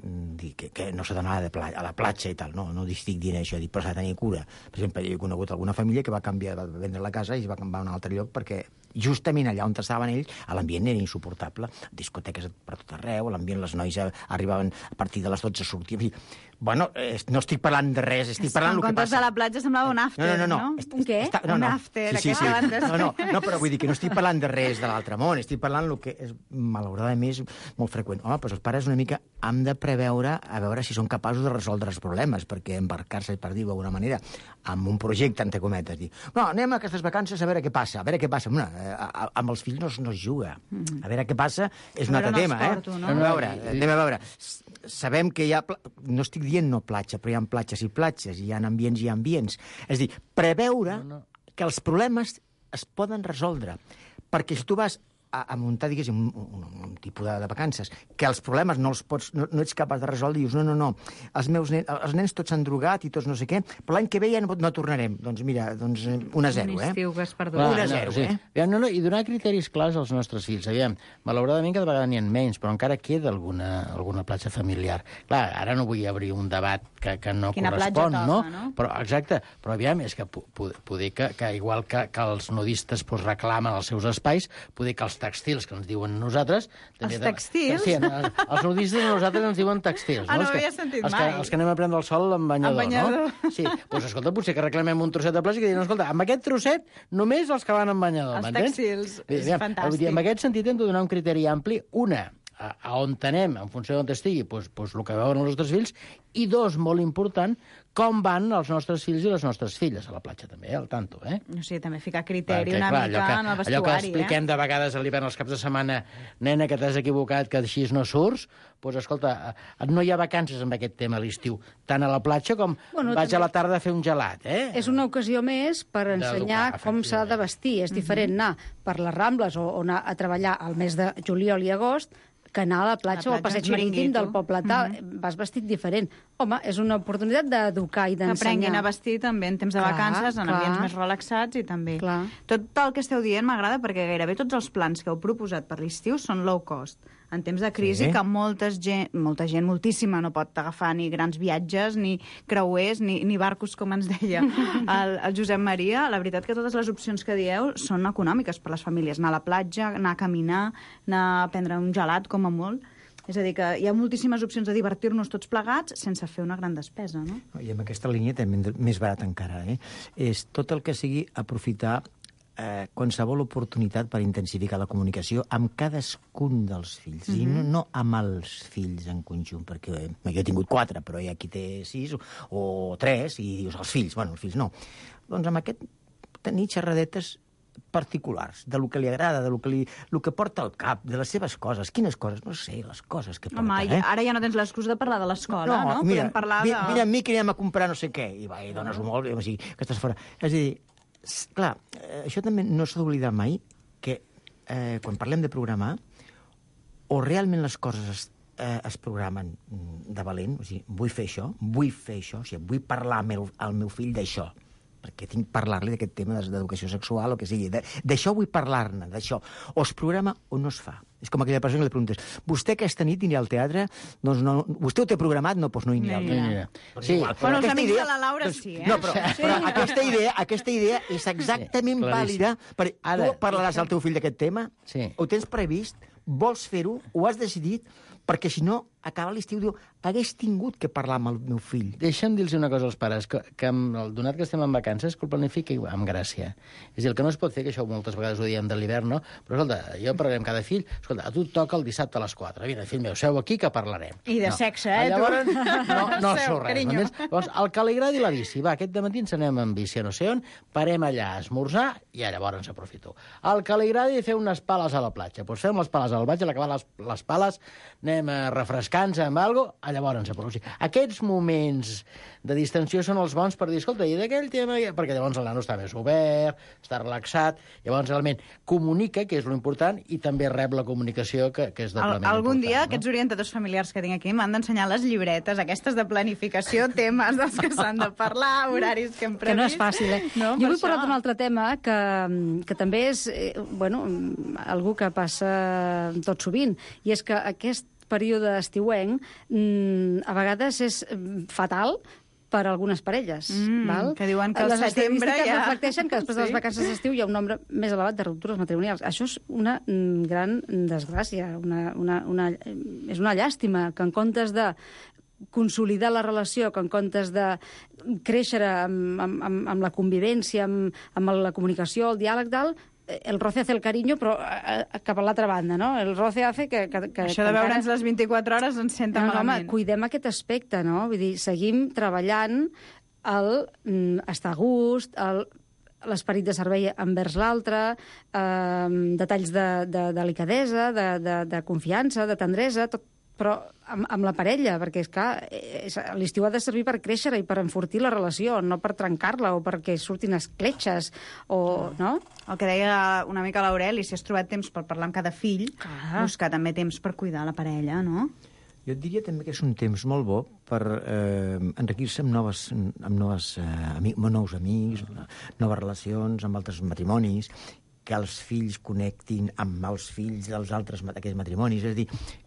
que no s'ha d'anar a la platja i tal, no estic dient això, però s'ha de tenir cura. Per exemple, he conegut alguna família que va vendre la casa i es va canviar a un altre lloc perquè justament allà on estaven ells, l'ambient era insuportable. Discoteques per tot arreu, l'ambient, les noies arribaven a partir de les 12 a sortir... Bueno, no estic parlant de res, estic parlant del que passa. En comptes de la platja semblava un after, no? Un què? Un after, aquesta banda. No, però vull dir que no estic parlant de res de l'altre món, estic parlant del que és, malauradament, és molt freqüent. Home, doncs els pares una mica han de preveure a veure si són capaços de resoldre els problemes, perquè embarcar-se, per dir-ho d'alguna manera, amb un projecte, entre cometes, dir, no, anem a aquestes vacances a veure què passa, amb els fills no es juga. A veure què passa és un altre tema, Anem a veure, sabem que hi ha... No estic dient no platja, però hi ha platges i platges, hi ha ambients i ambients. És a dir, preveure que els problemes es poden resoldre. Perquè si tu vas a muntar, diguéssim, un tipus de vacances, que els problemes no ets capaç de resoldre, dius, no, els nens tots s'han drogat i tots no sé què, però l'any que ve ja no tornarem. Doncs mira, 1-0, Un estiu que has perdut. 1-0, I donar criteris clars als nostres fills. Aviam, malauradament cada vegada n'hi ha menys, però encara queda alguna platja familiar. Clar, ara no vull obrir un debat que no correspon, no? Però, exacte, però aviam, és que poder que igual que els nudistes reclamen els seus espais, poder que els textils que ens diuen nosaltres... Els textils? Sí, els nudistes a nosaltres ens diuen textils. No havia sentit mai. Els que anem a prendre el sol amb banyador, no? Sí, doncs escolta, potser que reclamem un trosset de platja i que diuen, escolta, amb aquest trosset només els que van amb banyador, m'entens? Els textils, és fantàstic. En aquest sentit hem de donar un criteri ampli, a on anem, en funció d'on estigui, doncs el que veuen els nostres fills, i dos, molt important, com van els nostres fills i les nostres filles a la platja, també, al tanto, eh? O sigui, també ficar criteri Perquè, una clar, mica en el vestuari, allò que expliquem de vegades a l'hivern els caps de setmana, nena, que t'has equivocat, que així no surts, doncs, escolta, no hi ha vacances amb aquest tema a l'estiu, tant a la platja com vaig a la tarda a fer un gelat, eh? És una ocasió més per ensenyar com s'ha de vestir. És diferent anar per les Rambles o anar a treballar al mes de juliol i agost que anar a la platja o al passeig marítim del poble tal. Vas vestit diferent. Home, és una oportunitat d'educar i d'ensenyar. Que aprenguin a vestir també en temps de vacances, en ambients més relaxats i també... Tot el que esteu dient m'agrada perquè gairebé tots els plans que heu proposat per l'estiu són low cost. En temps de crisi, que molta gent, moltíssima, no pot agafar ni grans viatges, ni creuers, ni barcos, com ens deia el Josep Maria. La veritat que totes les opcions que dieu són econòmiques per les famílies. Anar a la platja, anar a caminar, anar a prendre un gelat, com a molt. És a dir, que hi ha moltíssimes opcions de divertir-nos tots plegats sense fer una gran despesa, no? I amb aquesta línia també més barat encara, és tot el que sigui aprofitar qualsevol oportunitat per intensificar la comunicació amb cadascun dels fills, i no amb els fills en conjunt, perquè jo he tingut 4, però hi ha qui té 6 o 3, i dius, els fills no. Doncs amb aquest tenir xerradetes particulars, de lo que li agrada, de lo que porta al cap, de les seves coses. Quines coses? No sé, les coses que porta. Home, ara ja no tens l'excusa de parlar de l'escola, no? Mira, podem parlar de... Mira amb mi que anem a comprar no sé què, i va, i dones-ho molt, o sigui, que estàs fora. És a dir, clar, això també no s'ha d'oblidar mai, que quan parlem de programar, o realment les coses es programen de valent, o sigui, vull fer això, o sigui, vull parlar al meu fill d'això, perquè tinc que parlar-li d'aquest tema d'educació sexual o que sigui. D'això vull parlar-ne, d'això. O es programa o no es fa. És com aquella persona que li preguntes, vostè aquesta nit anirà al teatre? Doncs no, vostè ho té programat? No, doncs no hi anirà al teatre. Sí, però els amics de la Laura sí, eh? No, però aquesta idea és exactament vàlida. Tu parlaràs al teu fill d'aquest tema? Ho tens previst? Vols fer-ho? Ho has decidit? Perquè si no, acaba l'estiu, diu, hagués tingut que parlar amb el meu fill. Deixa'm dir-los una cosa als pares, que donat que estem en vacances, que ho planifiqui amb gràcia. És a dir, el que no es pot fer, que això moltes vegades ho diem de l'hivern, no? Però, escolta, jo parlaré amb cada fill, escolta, a tu et toca el dissabte a les 4. Vine, fill meu, seu aquí que parlarem. I de sexe, eh, llavors, no sou res. Llavors, el que li agradi la bici, va, aquest dematí ens anem amb bici a no sé on, parem allà a esmorzar i llavors ens aprofito. El que li agradi fer unes pales a la platja, doncs fem les pales al vaig, a l'acabar les pales anem a refrescar-nos amb alguna cosa, llavors ens aprofi. Aquests moments de distensió són els bons per dir, escolta, i d'aquell tema... Perquè llavors el nano està més obert, està relaxat, llavors realment comunica, que és l'important, i també rep la comunicació, que és doblement important. Algun dia aquests orientadors familiars que tinc aquí m'han d'ensenyar les llibretes, aquestes de planificació, temes dels que s'han de parlar, horaris que hem previst. Que no és fàcil, eh? No, jo vull parlar d'un altre tema que també és, algú que passa tot sovint, i és que aquest període estiuenc a vegades és fatal per a algunes parelles. Val? Que diuen que al setembre ja... reflecteixen que després de les vacances d'estiu hi ha un nombre més elevat de ruptures matrimonials. Això és una gran desgràcia, és una llàstima que en comptes de consolidar la relació, que en comptes de créixer amb la convivència, amb la comunicació, el diàleg, el roce hace el cariño, però cap a l'altra banda, no? El roce hace que això de veure'ns les 24 hores ens senta malament. Home, cuidem aquest aspecte, no? Vull dir, seguim treballant estar a gust, l'esperit de servei envers l'altre, detalls de delicadesa, de confiança, de tendresa, tot, però amb la parella, perquè és clar, l'estiu ha de servir per créixer i per enfortir la relació, no per trencar-la o perquè surtin escletxes, o no? El que deia una mica l'Aureli, si has trobat temps per parlar amb cada fill, buscar també temps per cuidar la parella, no? Jo et diria també que és un temps molt bo per enriquir-se amb nous amics, noves relacions, amb altres matrimonis, que els fills connectin amb els fills dels altres d'aquests matrimonis. És a dir,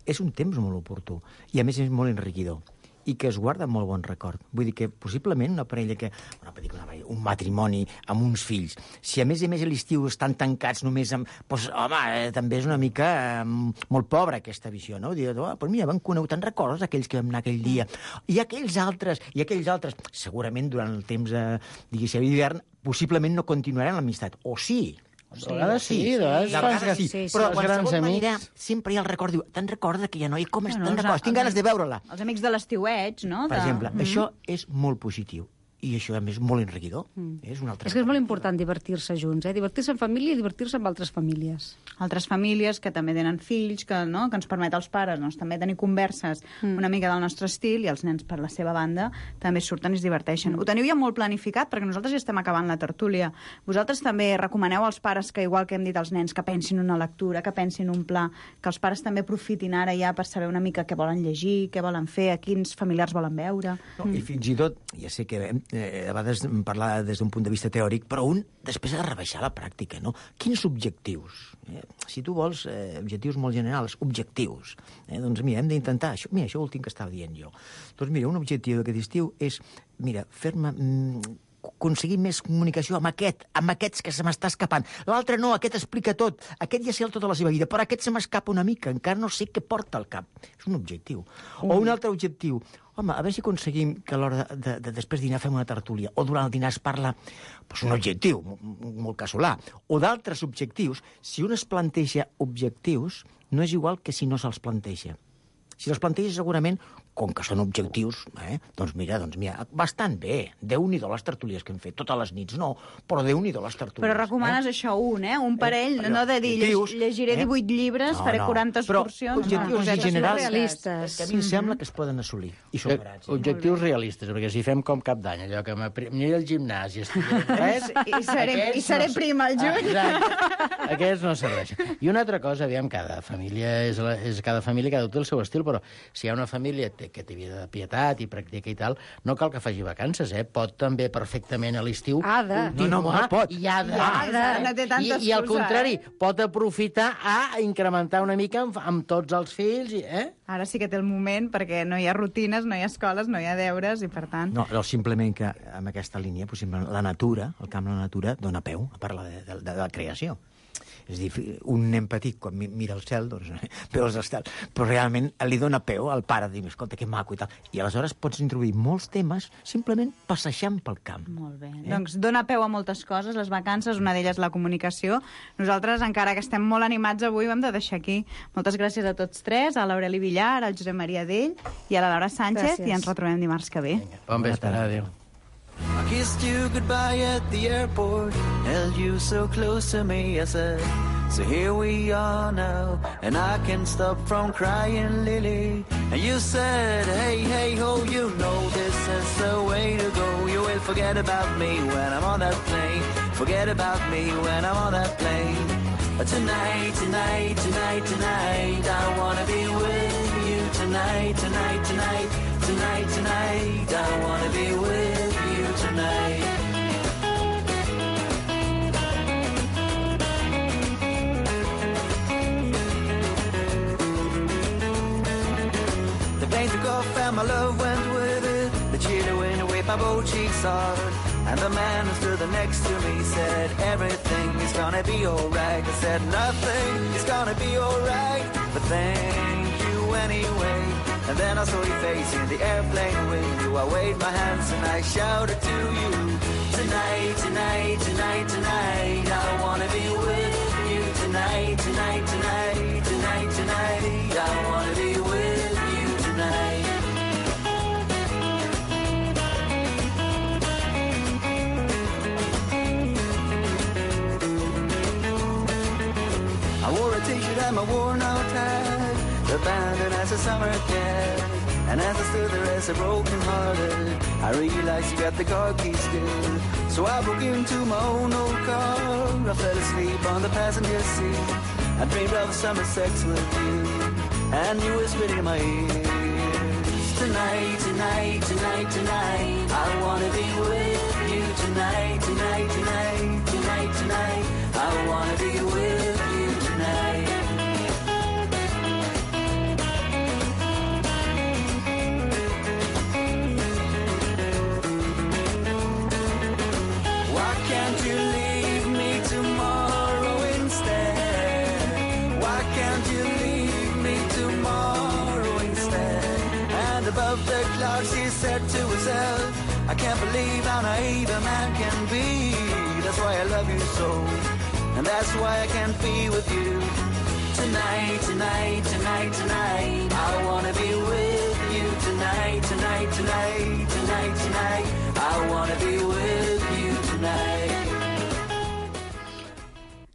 és un temps molt oportú i, a més, és molt enriquidor i que es guarda molt bon record. Vull dir que, possiblement, un matrimoni amb uns fills, si a més a l'estiu estan tancats només amb... Doncs, home, també és una mica molt pobra aquesta visió, no? Dir, doncs mira, te'n recordes aquells que vam anar aquell dia? I aquells altres, segurament durant el temps d'hivern, possiblement no continuaran l'amistat. O sí, De vegades sí, de vegades sí. Però qualsevol manera sempre hi ha el record. Diu, te'n recorda aquella noia? Com te'n recordes? Tinc ganes de veure-la. Els amics de l'estiueig, no? Per exemple, això és molt positiu. I això, a més, és molt enriquidor. És una altra És que és molt important divertir-se junts, divertir-se en família i divertir-se amb altres famílies. Altres famílies que també tenen fills, que ens permet als pares també tenir converses una mica del nostre estil, i els nens, per la seva banda, també surten i es diverteixen. Ho teniu ja molt planificat, perquè nosaltres ja estem acabant la tertúlia. Vosaltres també recomaneu als pares que, igual que hem dit als nens, que pensin una lectura, que pensin un pla, que els pares també aprofitin ara ja per saber una mica què volen llegir, què volen fer, a quins familiars volen veure. I fins i tot, ja sé que a vegades parlar des d'un punt de vista teòric, però un després ha de rebaixar la pràctica, no? Quins objectius? Si tu vols objectius molt generals, objectius. Doncs mira, hem d'intentar això. Mira, això ho tinc que estava dient jo. Doncs mira, un objectiu d'aquest estiu és, mira, fer-me aconseguir més comunicació amb aquests que se m'està escapant. L'altre no, aquest explica tot. Aquest ja sé tota la seva vida, però aquest se m'escapa una mica. Encara no sé què porta al cap. És un objectiu. O un altre objectiu. Home, a veure si aconseguim que a l'hora de després dinar fem una tertúlia, o durant el dinar es parla un objectiu, molt casolà. O d'altres objectius. Si un es planteja objectius, no és igual que si no se'ls planteja. Si els planteja segurament, com que són objectius, doncs mira, bastant bé. Déu-n'hi-do les tertúlies que hem fet, totes les nits, no, però Déu-n'hi-do les tertúlies. Però recomanes això un parell, no de dir llegiré 18 llibres, faré 40 excursions... Però objectius generals realistes que a mi em sembla que es poden assolir. Objectius realistes, perquè si fem com cap d'any, allò que m'aniré al gimnàs i estudiaré res... I seré prima al juny. Aquests no serveixen. I una altra cosa, aviam, cada família cada té el seu estil, però si hi ha una família que té vida de pietat i practica i tal, no cal que faci vacances, pot també perfectament a l'estiu continuar. Pot. I ha de. I al contrari, pot aprofitar a incrementar una mica amb tots els fills. Ara sí que té el moment, perquè no hi ha rutines, no hi ha escoles, no hi ha deures, i per tant... No, simplement que amb aquesta línia, la natura, el camp de la natura, dona peu a parlar de la creació. És a dir, un nen petit, quan mira el cel, doncs veu els estels, però realment li dona peu al pare, dir, escolta, que maco i tal. I aleshores pots introduir molts temes simplement passejant pel camp. Molt bé. Doncs dona peu a moltes coses, les vacances, una d'elles la comunicació. Nosaltres, encara que estem molt animats avui, ho hem de deixar aquí. Moltes gràcies a tots tres, a l'Aureli Villar, al Josep Maria Dell i a la Laura Sánchez, i ens retrobem dimarts que ve. Bon vespre, adéu. I kissed you goodbye at the airport, held you so close to me, I said, so here we are now, and I can't stop from crying, Lily. And you said, hey, hey, ho, you know this is the way to go. You will forget about me when I'm on that plane, forget about me when I'm on that plane. But tonight, tonight, tonight, tonight, I wanna be with you tonight, tonight, tonight, tonight, tonight, I wanna be with you tonight. The plane took off and my love went with it. The cheetah went away, my both cheeks hard. And the man who stood next to me said, everything is gonna be alright. I said, nothing is gonna be alright, but thank you anyway. And then I saw your face in the airplane window. I waved my hands and I shouted to you, tonight, tonight, tonight, tonight, I wanna be with you tonight, tonight, tonight, tonight, tonight, I wanna be with you tonight. I wore a t-shirt and my worn-out hat, abandoned as a summer cat. And as I stood there as a broken-hearted, I realized you got the car keys still. So I broke into my own old car. I fell asleep on the passenger seat. I dreamed of summer sex with you, and you whispered in my ears, tonight, tonight, tonight, tonight, I wanna be with you tonight, tonight, tonight, tonight, tonight, I wanna be with you tonight. Why can't you leave me tomorrow instead? Why can't you leave me tomorrow instead? And above the clouds she said to herself, I can't believe how naive a man can be. That's why I love you so, and that's why I can't be with you. Tonight, tonight, tonight, tonight, I wanna be with you. Tonight, tonight, tonight, tonight, tonight, I wanna be with you tonight.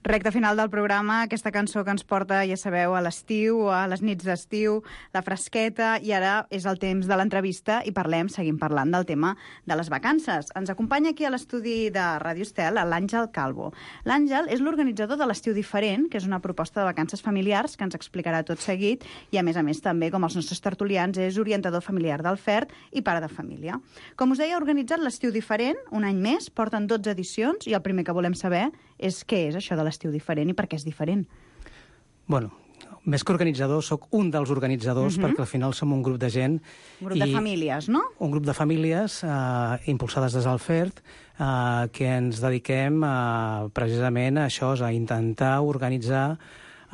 Recte final del programa, aquesta cançó que ens porta, ja sabeu, a l'estiu, a les nits d'estiu, la fresqueta, i ara és el temps de l'entrevista i seguim parlant del tema de les vacances. Ens acompanya aquí a l'estudi de Ràdio Estel l'Àngel Calvo. L'Àngel és l'organitzador de l'Estiu Diferent, que és una proposta de vacances familiars que ens explicarà tot seguit, i a més també, com els nostres tertulians, és orientador familiar del FERT i pare de família. Com us deia, ha organitzat l'Estiu Diferent, un any més, porten 12 edicions, i el primer que volem saber és què és això de l'estiu diferent i per què és diferent. Bueno, més que organitzador, sóc un dels organitzadors, perquè al final som un grup de gent. Un grup de famílies, no? Un grup de famílies impulsades des del FERT, que ens dediquem precisament a això, a intentar organitzar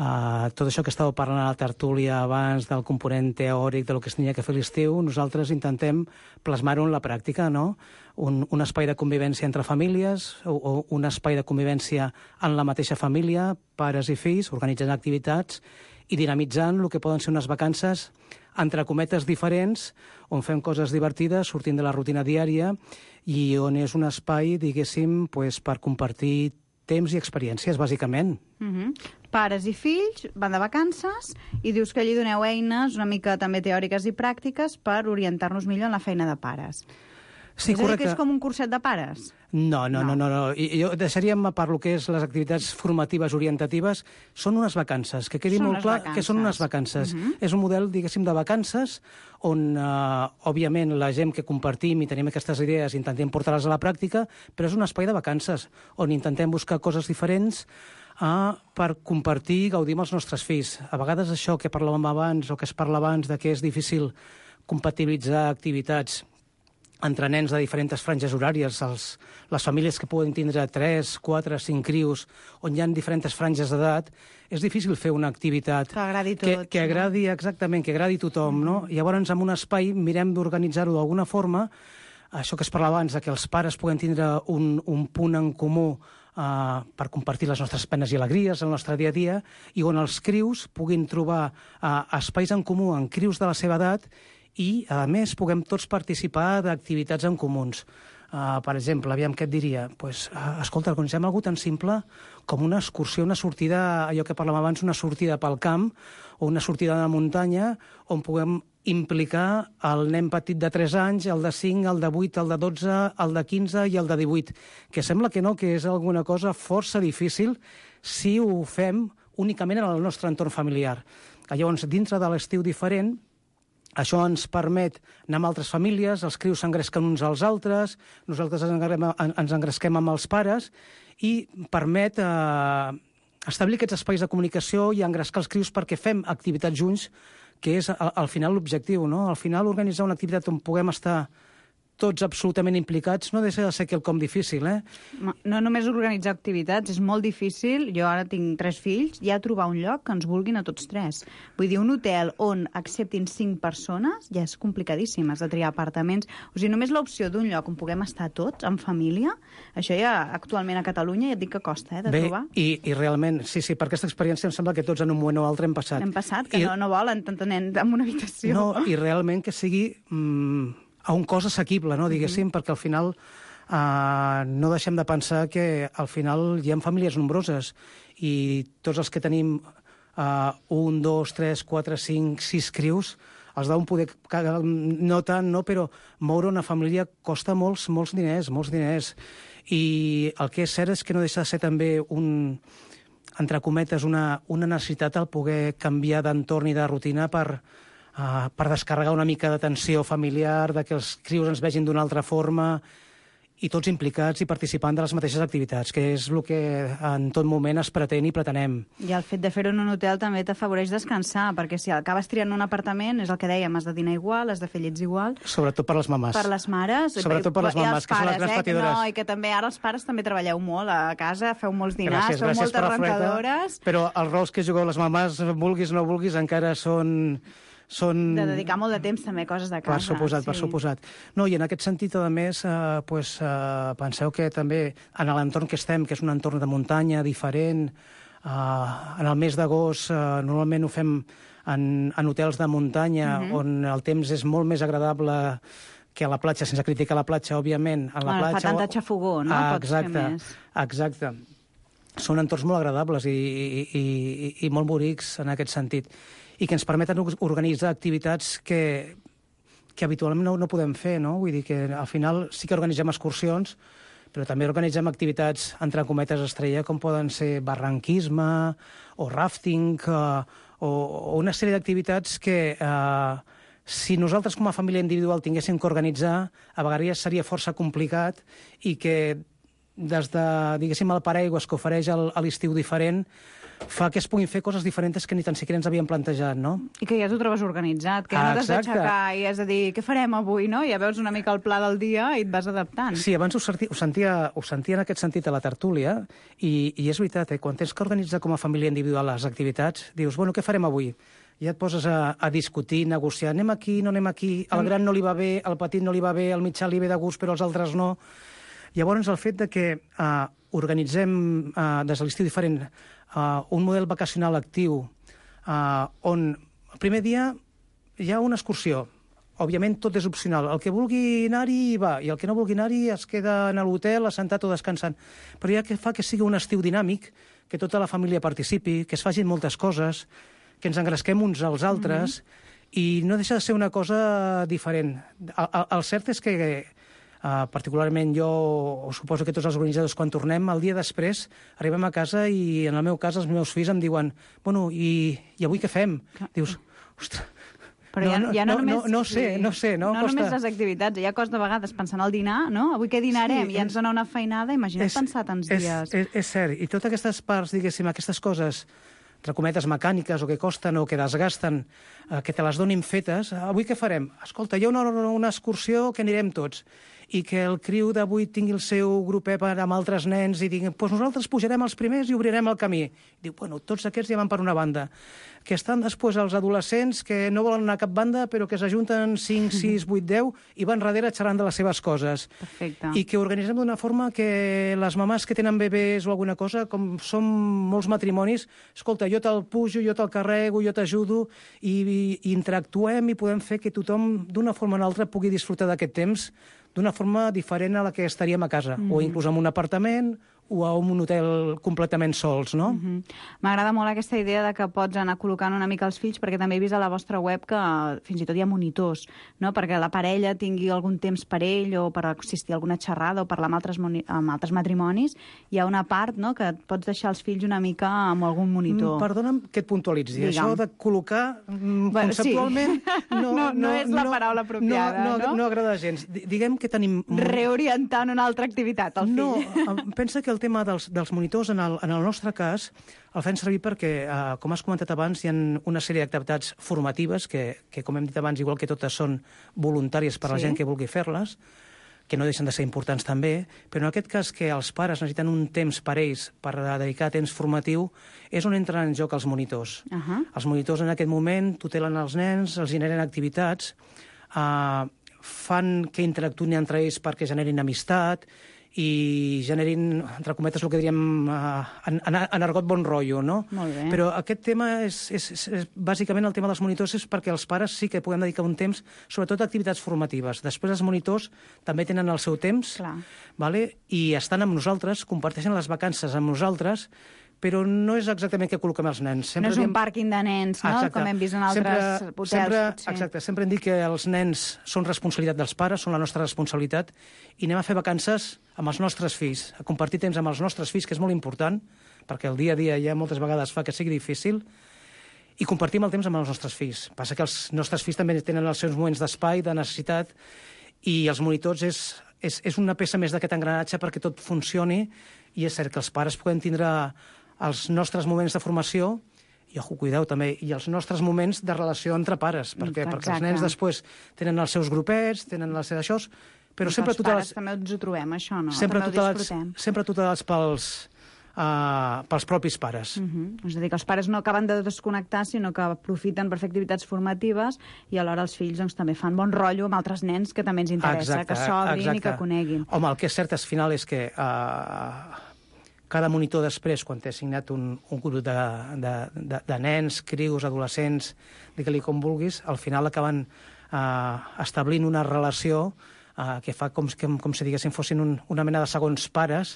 tot això que estàveu parlant a la tertúlia abans del component teòric del que es tenia que fer l'estiu, nosaltres intentem plasmar-ho en la pràctica, no? Un espai de convivència entre famílies, o un espai de convivència en la mateixa família, pares i fills, organitzant activitats i dinamitzant el que poden ser unes vacances entre cometes diferents, on fem coses divertides, sortint de la rutina diària, i on és un espai, diguéssim, per compartir temps i experiències, bàsicament. Pares i fills van de vacances i dius que allí doneu eines una mica també teòriques i pràctiques per orientar-nos millor en la feina de pares. Sí, és a dir, que és com un curset de pares? No. Jo deixaríem a part el que és les activitats formatives orientatives. Són unes vacances, que quedi molt clar que són unes vacances. És un model, diguéssim, de vacances on, òbviament, la gent que compartim i tenim aquestes idees intentem portar-les a la pràctica, però és un espai de vacances on intentem buscar coses diferents per compartir i gaudir amb els nostres fills. A vegades això que parlàvem abans, o que es parla abans, de que és difícil compatibilitzar activitats entre nens de diferents franges horàries, les famílies que poden tindre 3, 4, 5 crios, on hi ha diferents franges d'edat, és difícil fer una activitat que agradi tots, que agradi, exactament, que agradi tothom, no? Llavors, en un espai, mirem d'organitzar-ho d'alguna forma, això que es parlava abans, que els pares puguen tindre un punt en comú per compartir les nostres penes i alegries, el nostre dia a dia, i on els crios puguin trobar espais en comú en crios de la seva edat i, a més, puguem tots participar d'activitats en comuns. Per exemple, aviam què et diria? Escolta, organitzem alguna tan simple com una excursió, una sortida, allò que parlàvem abans, una sortida pel camp o una sortida a la muntanya on puguem implicar el nen petit de 3 anys, el de 5, el de 8, el de 12, el de 15 i el de 18, que sembla que no, que és alguna cosa força difícil si ho fem únicament en el nostre entorn familiar. Llavors, dintre de l'estiu diferent, això ens permet anar amb altres famílies, els crios s'engresquen uns als altres, nosaltres ens engresquem amb els pares, i permet establir aquests espais de comunicació i engrescar els crios perquè fem activitats junts, que és al final l'objectiu, no? Al final organitzar una activitat on puguem estar tots absolutament implicats no deixa de ser quelcom difícil, No només organitzar activitats, és molt difícil. Jo ara tinc 3 fills, ja trobar un lloc que ens vulguin a tots 3. Vull dir, un hotel on acceptin 5 persones ja és complicadíssim, has de triar apartaments. O sigui, només l'opció d'un lloc on puguem estar tots, en família, això ja actualment a Catalunya ja et dic que costa, de trobar. I realment, sí, per aquesta experiència em sembla que tots en un moment o altre hem passat. Hem passat, que no volen tant nen en una habitació. No, i realment que sigui a un cost assequible, no, diguéssim, perquè al final no deixem de pensar que al final hi ha famílies nombroses i tots els que tenim 1, 2, 3, 4, 5, 6 crios, els deuen poder, no tant, no, però moure una família costa molts diners. I el que és cert és que no deixa de ser també entre cometes, una necessitat el poder canviar d'entorn i de rutina per descarregar una mica de tensió familiar, que els crios ens vegin d'una altra forma, i tots implicats i participant de les mateixes activitats, que és el que en tot moment es pretén i pretenem. I el fet de fer-ho en un hotel també t'afavoreix descansar, perquè si acabes triant un apartament, és el que dèiem, has de dinar igual, has de fer llets igual. Sobretot per les mamàs. Per les mares. Sobretot per les mamàs, que són les grans patidores. No, i que també ara els pares també treballeu molt a casa, feu molts dinars, feu moltes rentadores. Però els rols que jugueu les mamàs, vulguis o no vulguis, encara són De dedicar molt de temps també a coses de casa. Per suposat. No, i en aquest sentit, a més, penseu que també en l'entorn que estem, que és un entorn de muntanya diferent, en el mes d'agost normalment ho fem en hotels de muntanya, on el temps és molt més agradable que a la platja, sense criticar la platja, òbviament. Fa tanta xafogó, no? Pots fer més. Exacte. Són entorns molt agradables i molt bonics en aquest sentit, i que ens permeten organitzar activitats que habitualment no podem fer, no? Vull dir que al final sí que organitzem excursions, però també organitzem activitats, entre cometes, estrella, com poden ser barranquisme o rafting o una sèrie d'activitats que si nosaltres com a família individual tinguéssim que organitzar, a vegades seria força complicat i que des de, diguéssim, el paraigües que ofereix a l'estiu diferent fa que es puguin fer coses diferents que ni tan siquiera ens havíem plantejat, no? I que ja t'ho trobes organitzat, que no t'has d'aixecar i has de dir què farem avui, no? Ja veus una mica el pla del dia i et vas adaptant. Sí, abans ho sentia en aquest sentit a la tertúlia i és veritat, quan tens que organitzar com a família individual les activitats, dius, bueno, què farem avui? Ja et poses a discutir, negociar, anem aquí, no anem aquí, al gran no li va bé, al petit no li va bé, al mitjà li ve de gust, però als altres no. Llavors, el fet de que organitzem des de l'estiu diferent un model vacacional actiu on el primer dia hi ha una excursió. Òbviament, tot és opcional. El que vulgui anar-hi va, i el que no vulgui anar-hi es queda en l'hotel, assentat o descansant. Però ja que fa que sigui un estiu dinàmic, que tota la família participi, que es facin moltes coses, que ens engresquem uns als altres, i no deixa de ser una cosa diferent. El cert és que particularment jo, suposo que tots els organitzadors, quan tornem, el dia després arribem a casa i, en el meu cas, els meus fills em diuen, bueno, i avui què fem? Dius, ostres, però no sé. No només les activitats, hi ha coses de vegades pensant al dinar, no? Avui què dinarem? I ens dona una feinada, imagina't pensar tants dies. És cert, i totes aquestes parts, diguéssim, aquestes coses, entre cometes, mecàniques, o que costen o que desgasten, que te les donin fetes, avui què farem? Escolta, hi ha una excursió que anirem tots, i que el criu d'avui tingui el seu grupet amb altres nens i diguin, doncs nosaltres pujarem els primers i obrirem el camí. Diu, bueno, tots aquests ja van per una banda. Que estan després els adolescents que no volen anar a cap banda, però que s'ajunten 5, 6, 8, 10 i van darrere xerrant de les seves coses. Perfecte. I que organitzem d'una forma que les mamàs que tenen bebès o alguna cosa, com som molts matrimonis, escolta, jo te'l pujo, jo te'l carrego, jo t'ajudo, i interactuem i podem fer que tothom, d'una forma o una altra, pugui disfrutar d'aquest temps d'una forma diferent a la que estaríem a casa, o inclús en un apartament, o a un hotel completament sols, no? M'agrada molt aquesta idea de que pots anar col·locant una mica els fills, perquè també he vist a la vostra web que fins i tot hi ha monitors, no? Perquè la parella tingui algun temps per ell o per assistir a alguna xerrada o parlar amb altres matrimonis. Hi ha una part, no?, que pots deixar els fills una mica amb algun monitor. Perdona'm que et puntualitzi. Digue'm. Això de col·locar, conceptualment... No és la paraula apropiada, no? No agrada gens. Diguem que tenim... Reorientant una altra activitat, al fill. No, pensa que el tema dels monitors, en el nostre cas, el fem servir perquè, com has comentat abans, hi ha una sèrie d'activitats formatives que, com hem dit abans, igual que totes són voluntàries per a la gent que vulgui fer-les, que no deixen de ser importants també, però en aquest cas que els pares necessiten un temps per ells per dedicar temps formatiu, és on entren en joc els monitors. Els monitors en aquest moment tutelen els nens, els generen activitats, fan que interactuïn entre ells perquè generin amistat, i generin, entre cometes, el que diríem en argot bon rotllo, no? Molt bé. Però aquest tema bàsicament el tema dels monitors és perquè els pares sí que podem dedicar un temps, sobretot a activitats formatives. Després els monitors també tenen el seu temps, i estan amb nosaltres, comparteixen les vacances amb nosaltres, però no és exactament què col·loquem els nens. No és un pàrquing de nens, no? Exacte. Com hem vist en altres hotels. Exacte, sempre hem dit que els nens són responsabilitat dels pares, són la nostra responsabilitat, i anem a fer vacances amb els nostres fills, a compartir temps amb els nostres fills, que és molt important, perquè el dia a dia ja moltes vegades fa que sigui difícil, i compartim el temps amb els nostres fills. Passa que els nostres fills també tenen els seus moments d'espai, de necessitat, i els monitors és una peça més d'aquest engranatge perquè tot funcioni, i és cert que els pares poden tindre els nostres moments de formació, i, cuideu, també, i els nostres moments de relació entre pares, perquè els nens després tenen els seus grupets, tenen les seves això, però sempre els pares també ens ho trobem, això, no? Sempre tutelats pels propis pares. És a dir, que els pares no acaben de desconnectar, sinó que aprofiten per fer activitats formatives i alhora els fills doncs, també fan bon rotllo amb altres nens que també ens interessa, que s'obrin i que coneguin. Home, el que és cert, al final, és que cada monitor després, quan t'he assignat un grup de nens, crios, adolescents, digue-li com vulguis, al final acaben establint una relació que fa com si diguéssim fossin una mena de segons pares,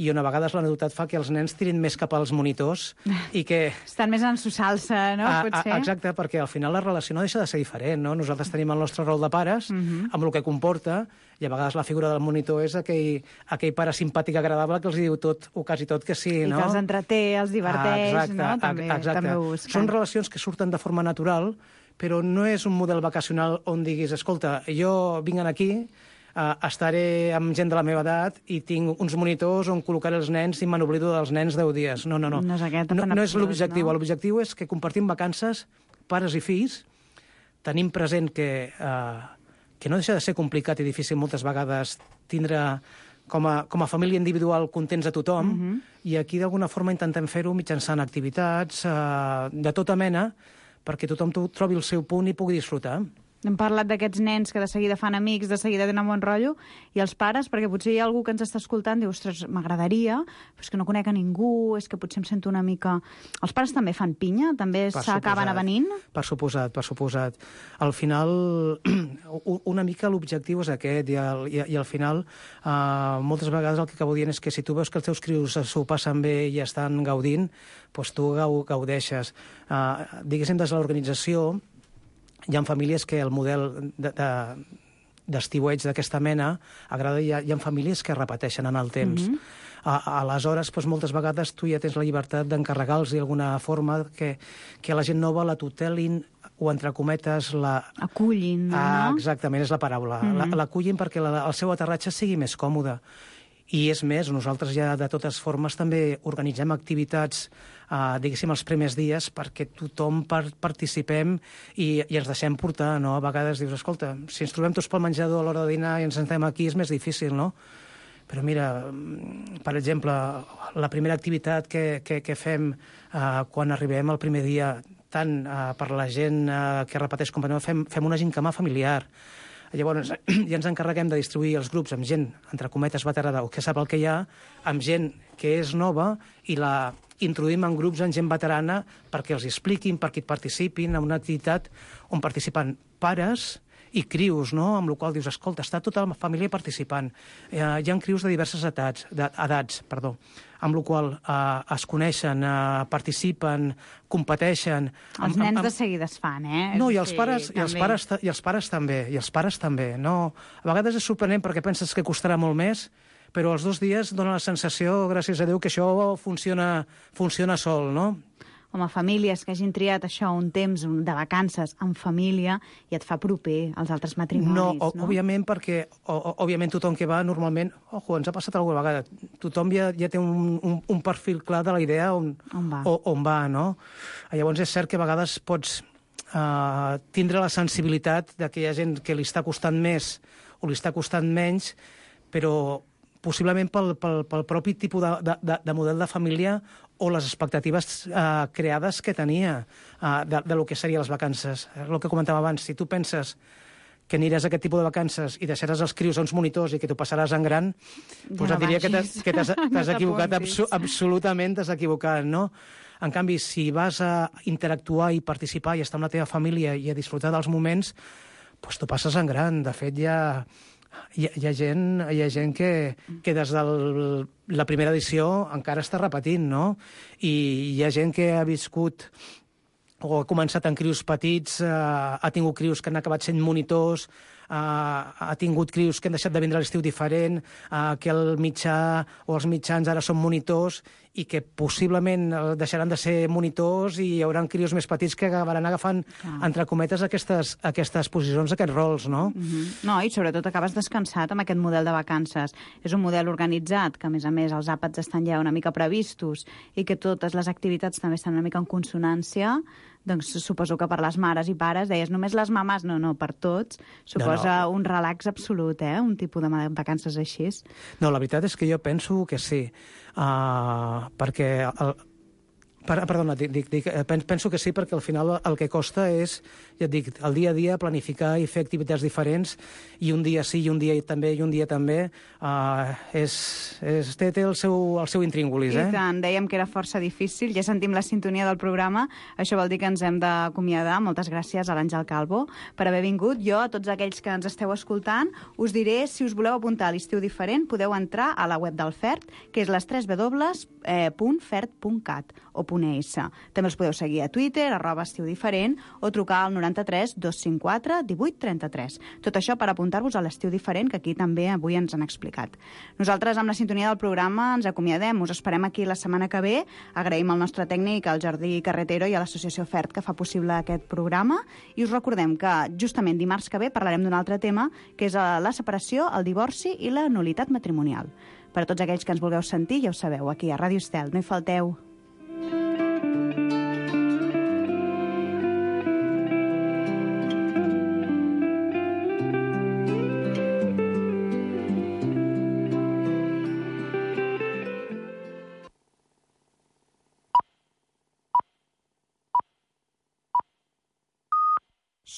i on a vegades la novetat fa que els nens tirin més cap als monitors i que... Estan més en su salsa, no? Potser. Exacte, perquè al final la relació no deixa de ser diferent, no? Nosaltres tenim el nostre rol de pares, amb el que comporta, i a vegades la figura del monitor és aquell pare simpàtic agradable que els diu tot, o quasi tot que sí, no? I que els entreté, els diverteix, no? També ho busquen. Són relacions que surten de forma natural, però no és un model vacacional on diguis, escolta, jo vinc aquí, estaré amb gent de la meva edat i tinc uns monitors on col·locaré els nens i me n'oblido dels nens 10 dies. No. No és l'objectiu. No? L'objectiu és que compartim vacances, pares i fills, tenim present que no deixa de ser complicat i difícil moltes vegades tindre com a família individual contents a tothom, i aquí d'alguna forma intentem fer-ho mitjançant activitats de tota mena perquè tothom trobi el seu punt i pugui disfrutar. Hem parlat d'aquests nens que de seguida fan amics, de seguida tenen bon rotllo, i els pares, perquè potser hi ha algú que ens està escoltant i diu, ostres, m'agradaria, però és que no conec a ningú, és que potser em sento una mica... Els pares també fan pinya? També s'acaben avenint? Per suposat. Al final, una mica l'objectiu és aquest, i al final, moltes vegades el que acabo dient és que si tu veus que els teus crios s'ho passen bé i estan gaudint, doncs tu gaudeixes. Diguéssim, des de l'organització, hi ha famílies que el model d'estiueig d'aquesta mena agrada, i hi ha famílies que repeteixen en el temps. Aleshores, doncs, moltes vegades tu ja tens la llibertat d'encarregar-los d'alguna forma que la gent nova la tutelin o, entre cometes, acullin, no? Exactament, és la paraula. L'acullin perquè el seu aterratge sigui més còmode. I és més, nosaltres ja de totes formes també organitzem activitats, diguéssim, els primers dies perquè tothom participem i ens deixem portar, no? A vegades dius, escolta, si ens trobem tots pel menjador a l'hora de dinar i ens sentem aquí és més difícil, no? Però mira, per exemple, la primera activitat que fem quan arribem el primer dia, tant per la gent que repeteix companyia, fem una gincama familiar. Llavors, ja ens encarreguem de distribuir els grups amb gent, entre cometes, veterana, o que sap el que hi ha, amb gent que és nova, i la introduïm en grups amb gent veterana perquè els expliquin, perquè hi participin en una activitat on participen pares i crios, no? Amb la qual dius, escolta, està tota la família participant. Hi ha crios de diverses edats, amb la qual es coneixen, participen, competeixen. Els nens de seguida es fan, eh? No, i els pares també. No? A vegades és sorprenent perquè penses que costarà molt més, però els 2 dies dona la sensació, gràcies a Déu, que això funciona sol, no? Home, famílies que hagin triat això, un temps de vacances en família, i et fa proper als altres matrimonis, no? Òbviament, perquè òbviament tothom que va normalment... ens ha passat alguna vegada. Tothom ja té un perfil clar de la idea on va, no? Llavors és cert que a vegades pots tindre la sensibilitat que hi ha gent que li està costant més o li està costant menys, però possiblement pel propi tipus de model de família o les expectatives creades que tenia de lo que serien les vacances. És el que comentava abans. Si tu penses que aniràs a aquest tipus de vacances i deixaràs els crios a uns monitors i que t'ho passaràs en gran, doncs et diria que t'has equivocat, absolutament t'has equivocat, no? En canvi, si vas a interactuar i participar i estar amb la teva família i a disfrutar dels moments, doncs t'ho passes en gran. De fet, hi ha gent que des de la primera edició encara està repetint, no? I hi ha gent que ha viscut o ha començat en crios petits, ha tingut crios que han acabat sent monitors, ha tingut crios que han deixat de vindre a l'estiu diferent, que el mitjà o els mitjans ara són monitors i que possiblement deixaran de ser monitors i hi haurà crios més petits que acabaran agafant, entre cometes, aquestes posicions, aquests rols, no? No, i sobretot acabes descansat amb aquest model de vacances. És un model organitzat, que a més els àpats estan ja una mica previstos i que totes les activitats també estan una mica en consonància, doncs suposo que per les mares i pares, deies només les mames, no, per tots, suposa un relax absolut, un tipus de vacances així. No, la veritat és que jo penso que sí, perquè... Perdona, penso que sí, perquè al final el que costa és, ja et dic, el dia a dia planificar i fer activitats diferents, i un dia sí, i un dia també, té el seu intríngulis, I tant, dèiem que era força difícil, ja sentim la sintonia del programa, això vol dir que ens hem d'acomiadar. Moltes gràcies a l'Àngel Calvo per haver vingut. Jo, a tots aquells que ens esteu escoltant, us diré, si us voleu apuntar a l'estiu diferent, podeu entrar a la web del FERT, que és les www.fert.cat o .es. També els podeu seguir a Twitter, @estiudiferent, o trucar al 93 254 18 33. Tot això per apuntar-vos a l'estiu diferent, que aquí també avui ens han explicat. Nosaltres, amb la sintonia del programa, ens acomiadem. Us esperem aquí la setmana que ve. Agraïm al nostre tècnic, al Jordi Carretero, i a l'associació FERT, que fa possible aquest programa. I us recordem que justament dimarts que ve parlarem d'un altre tema, que és la separació, el divorci i la nul·litat matrimonial. Per a tots aquells que ens vulgueu sentir, ja ho sabeu, aquí a Ràdio Estel. No hi falteu.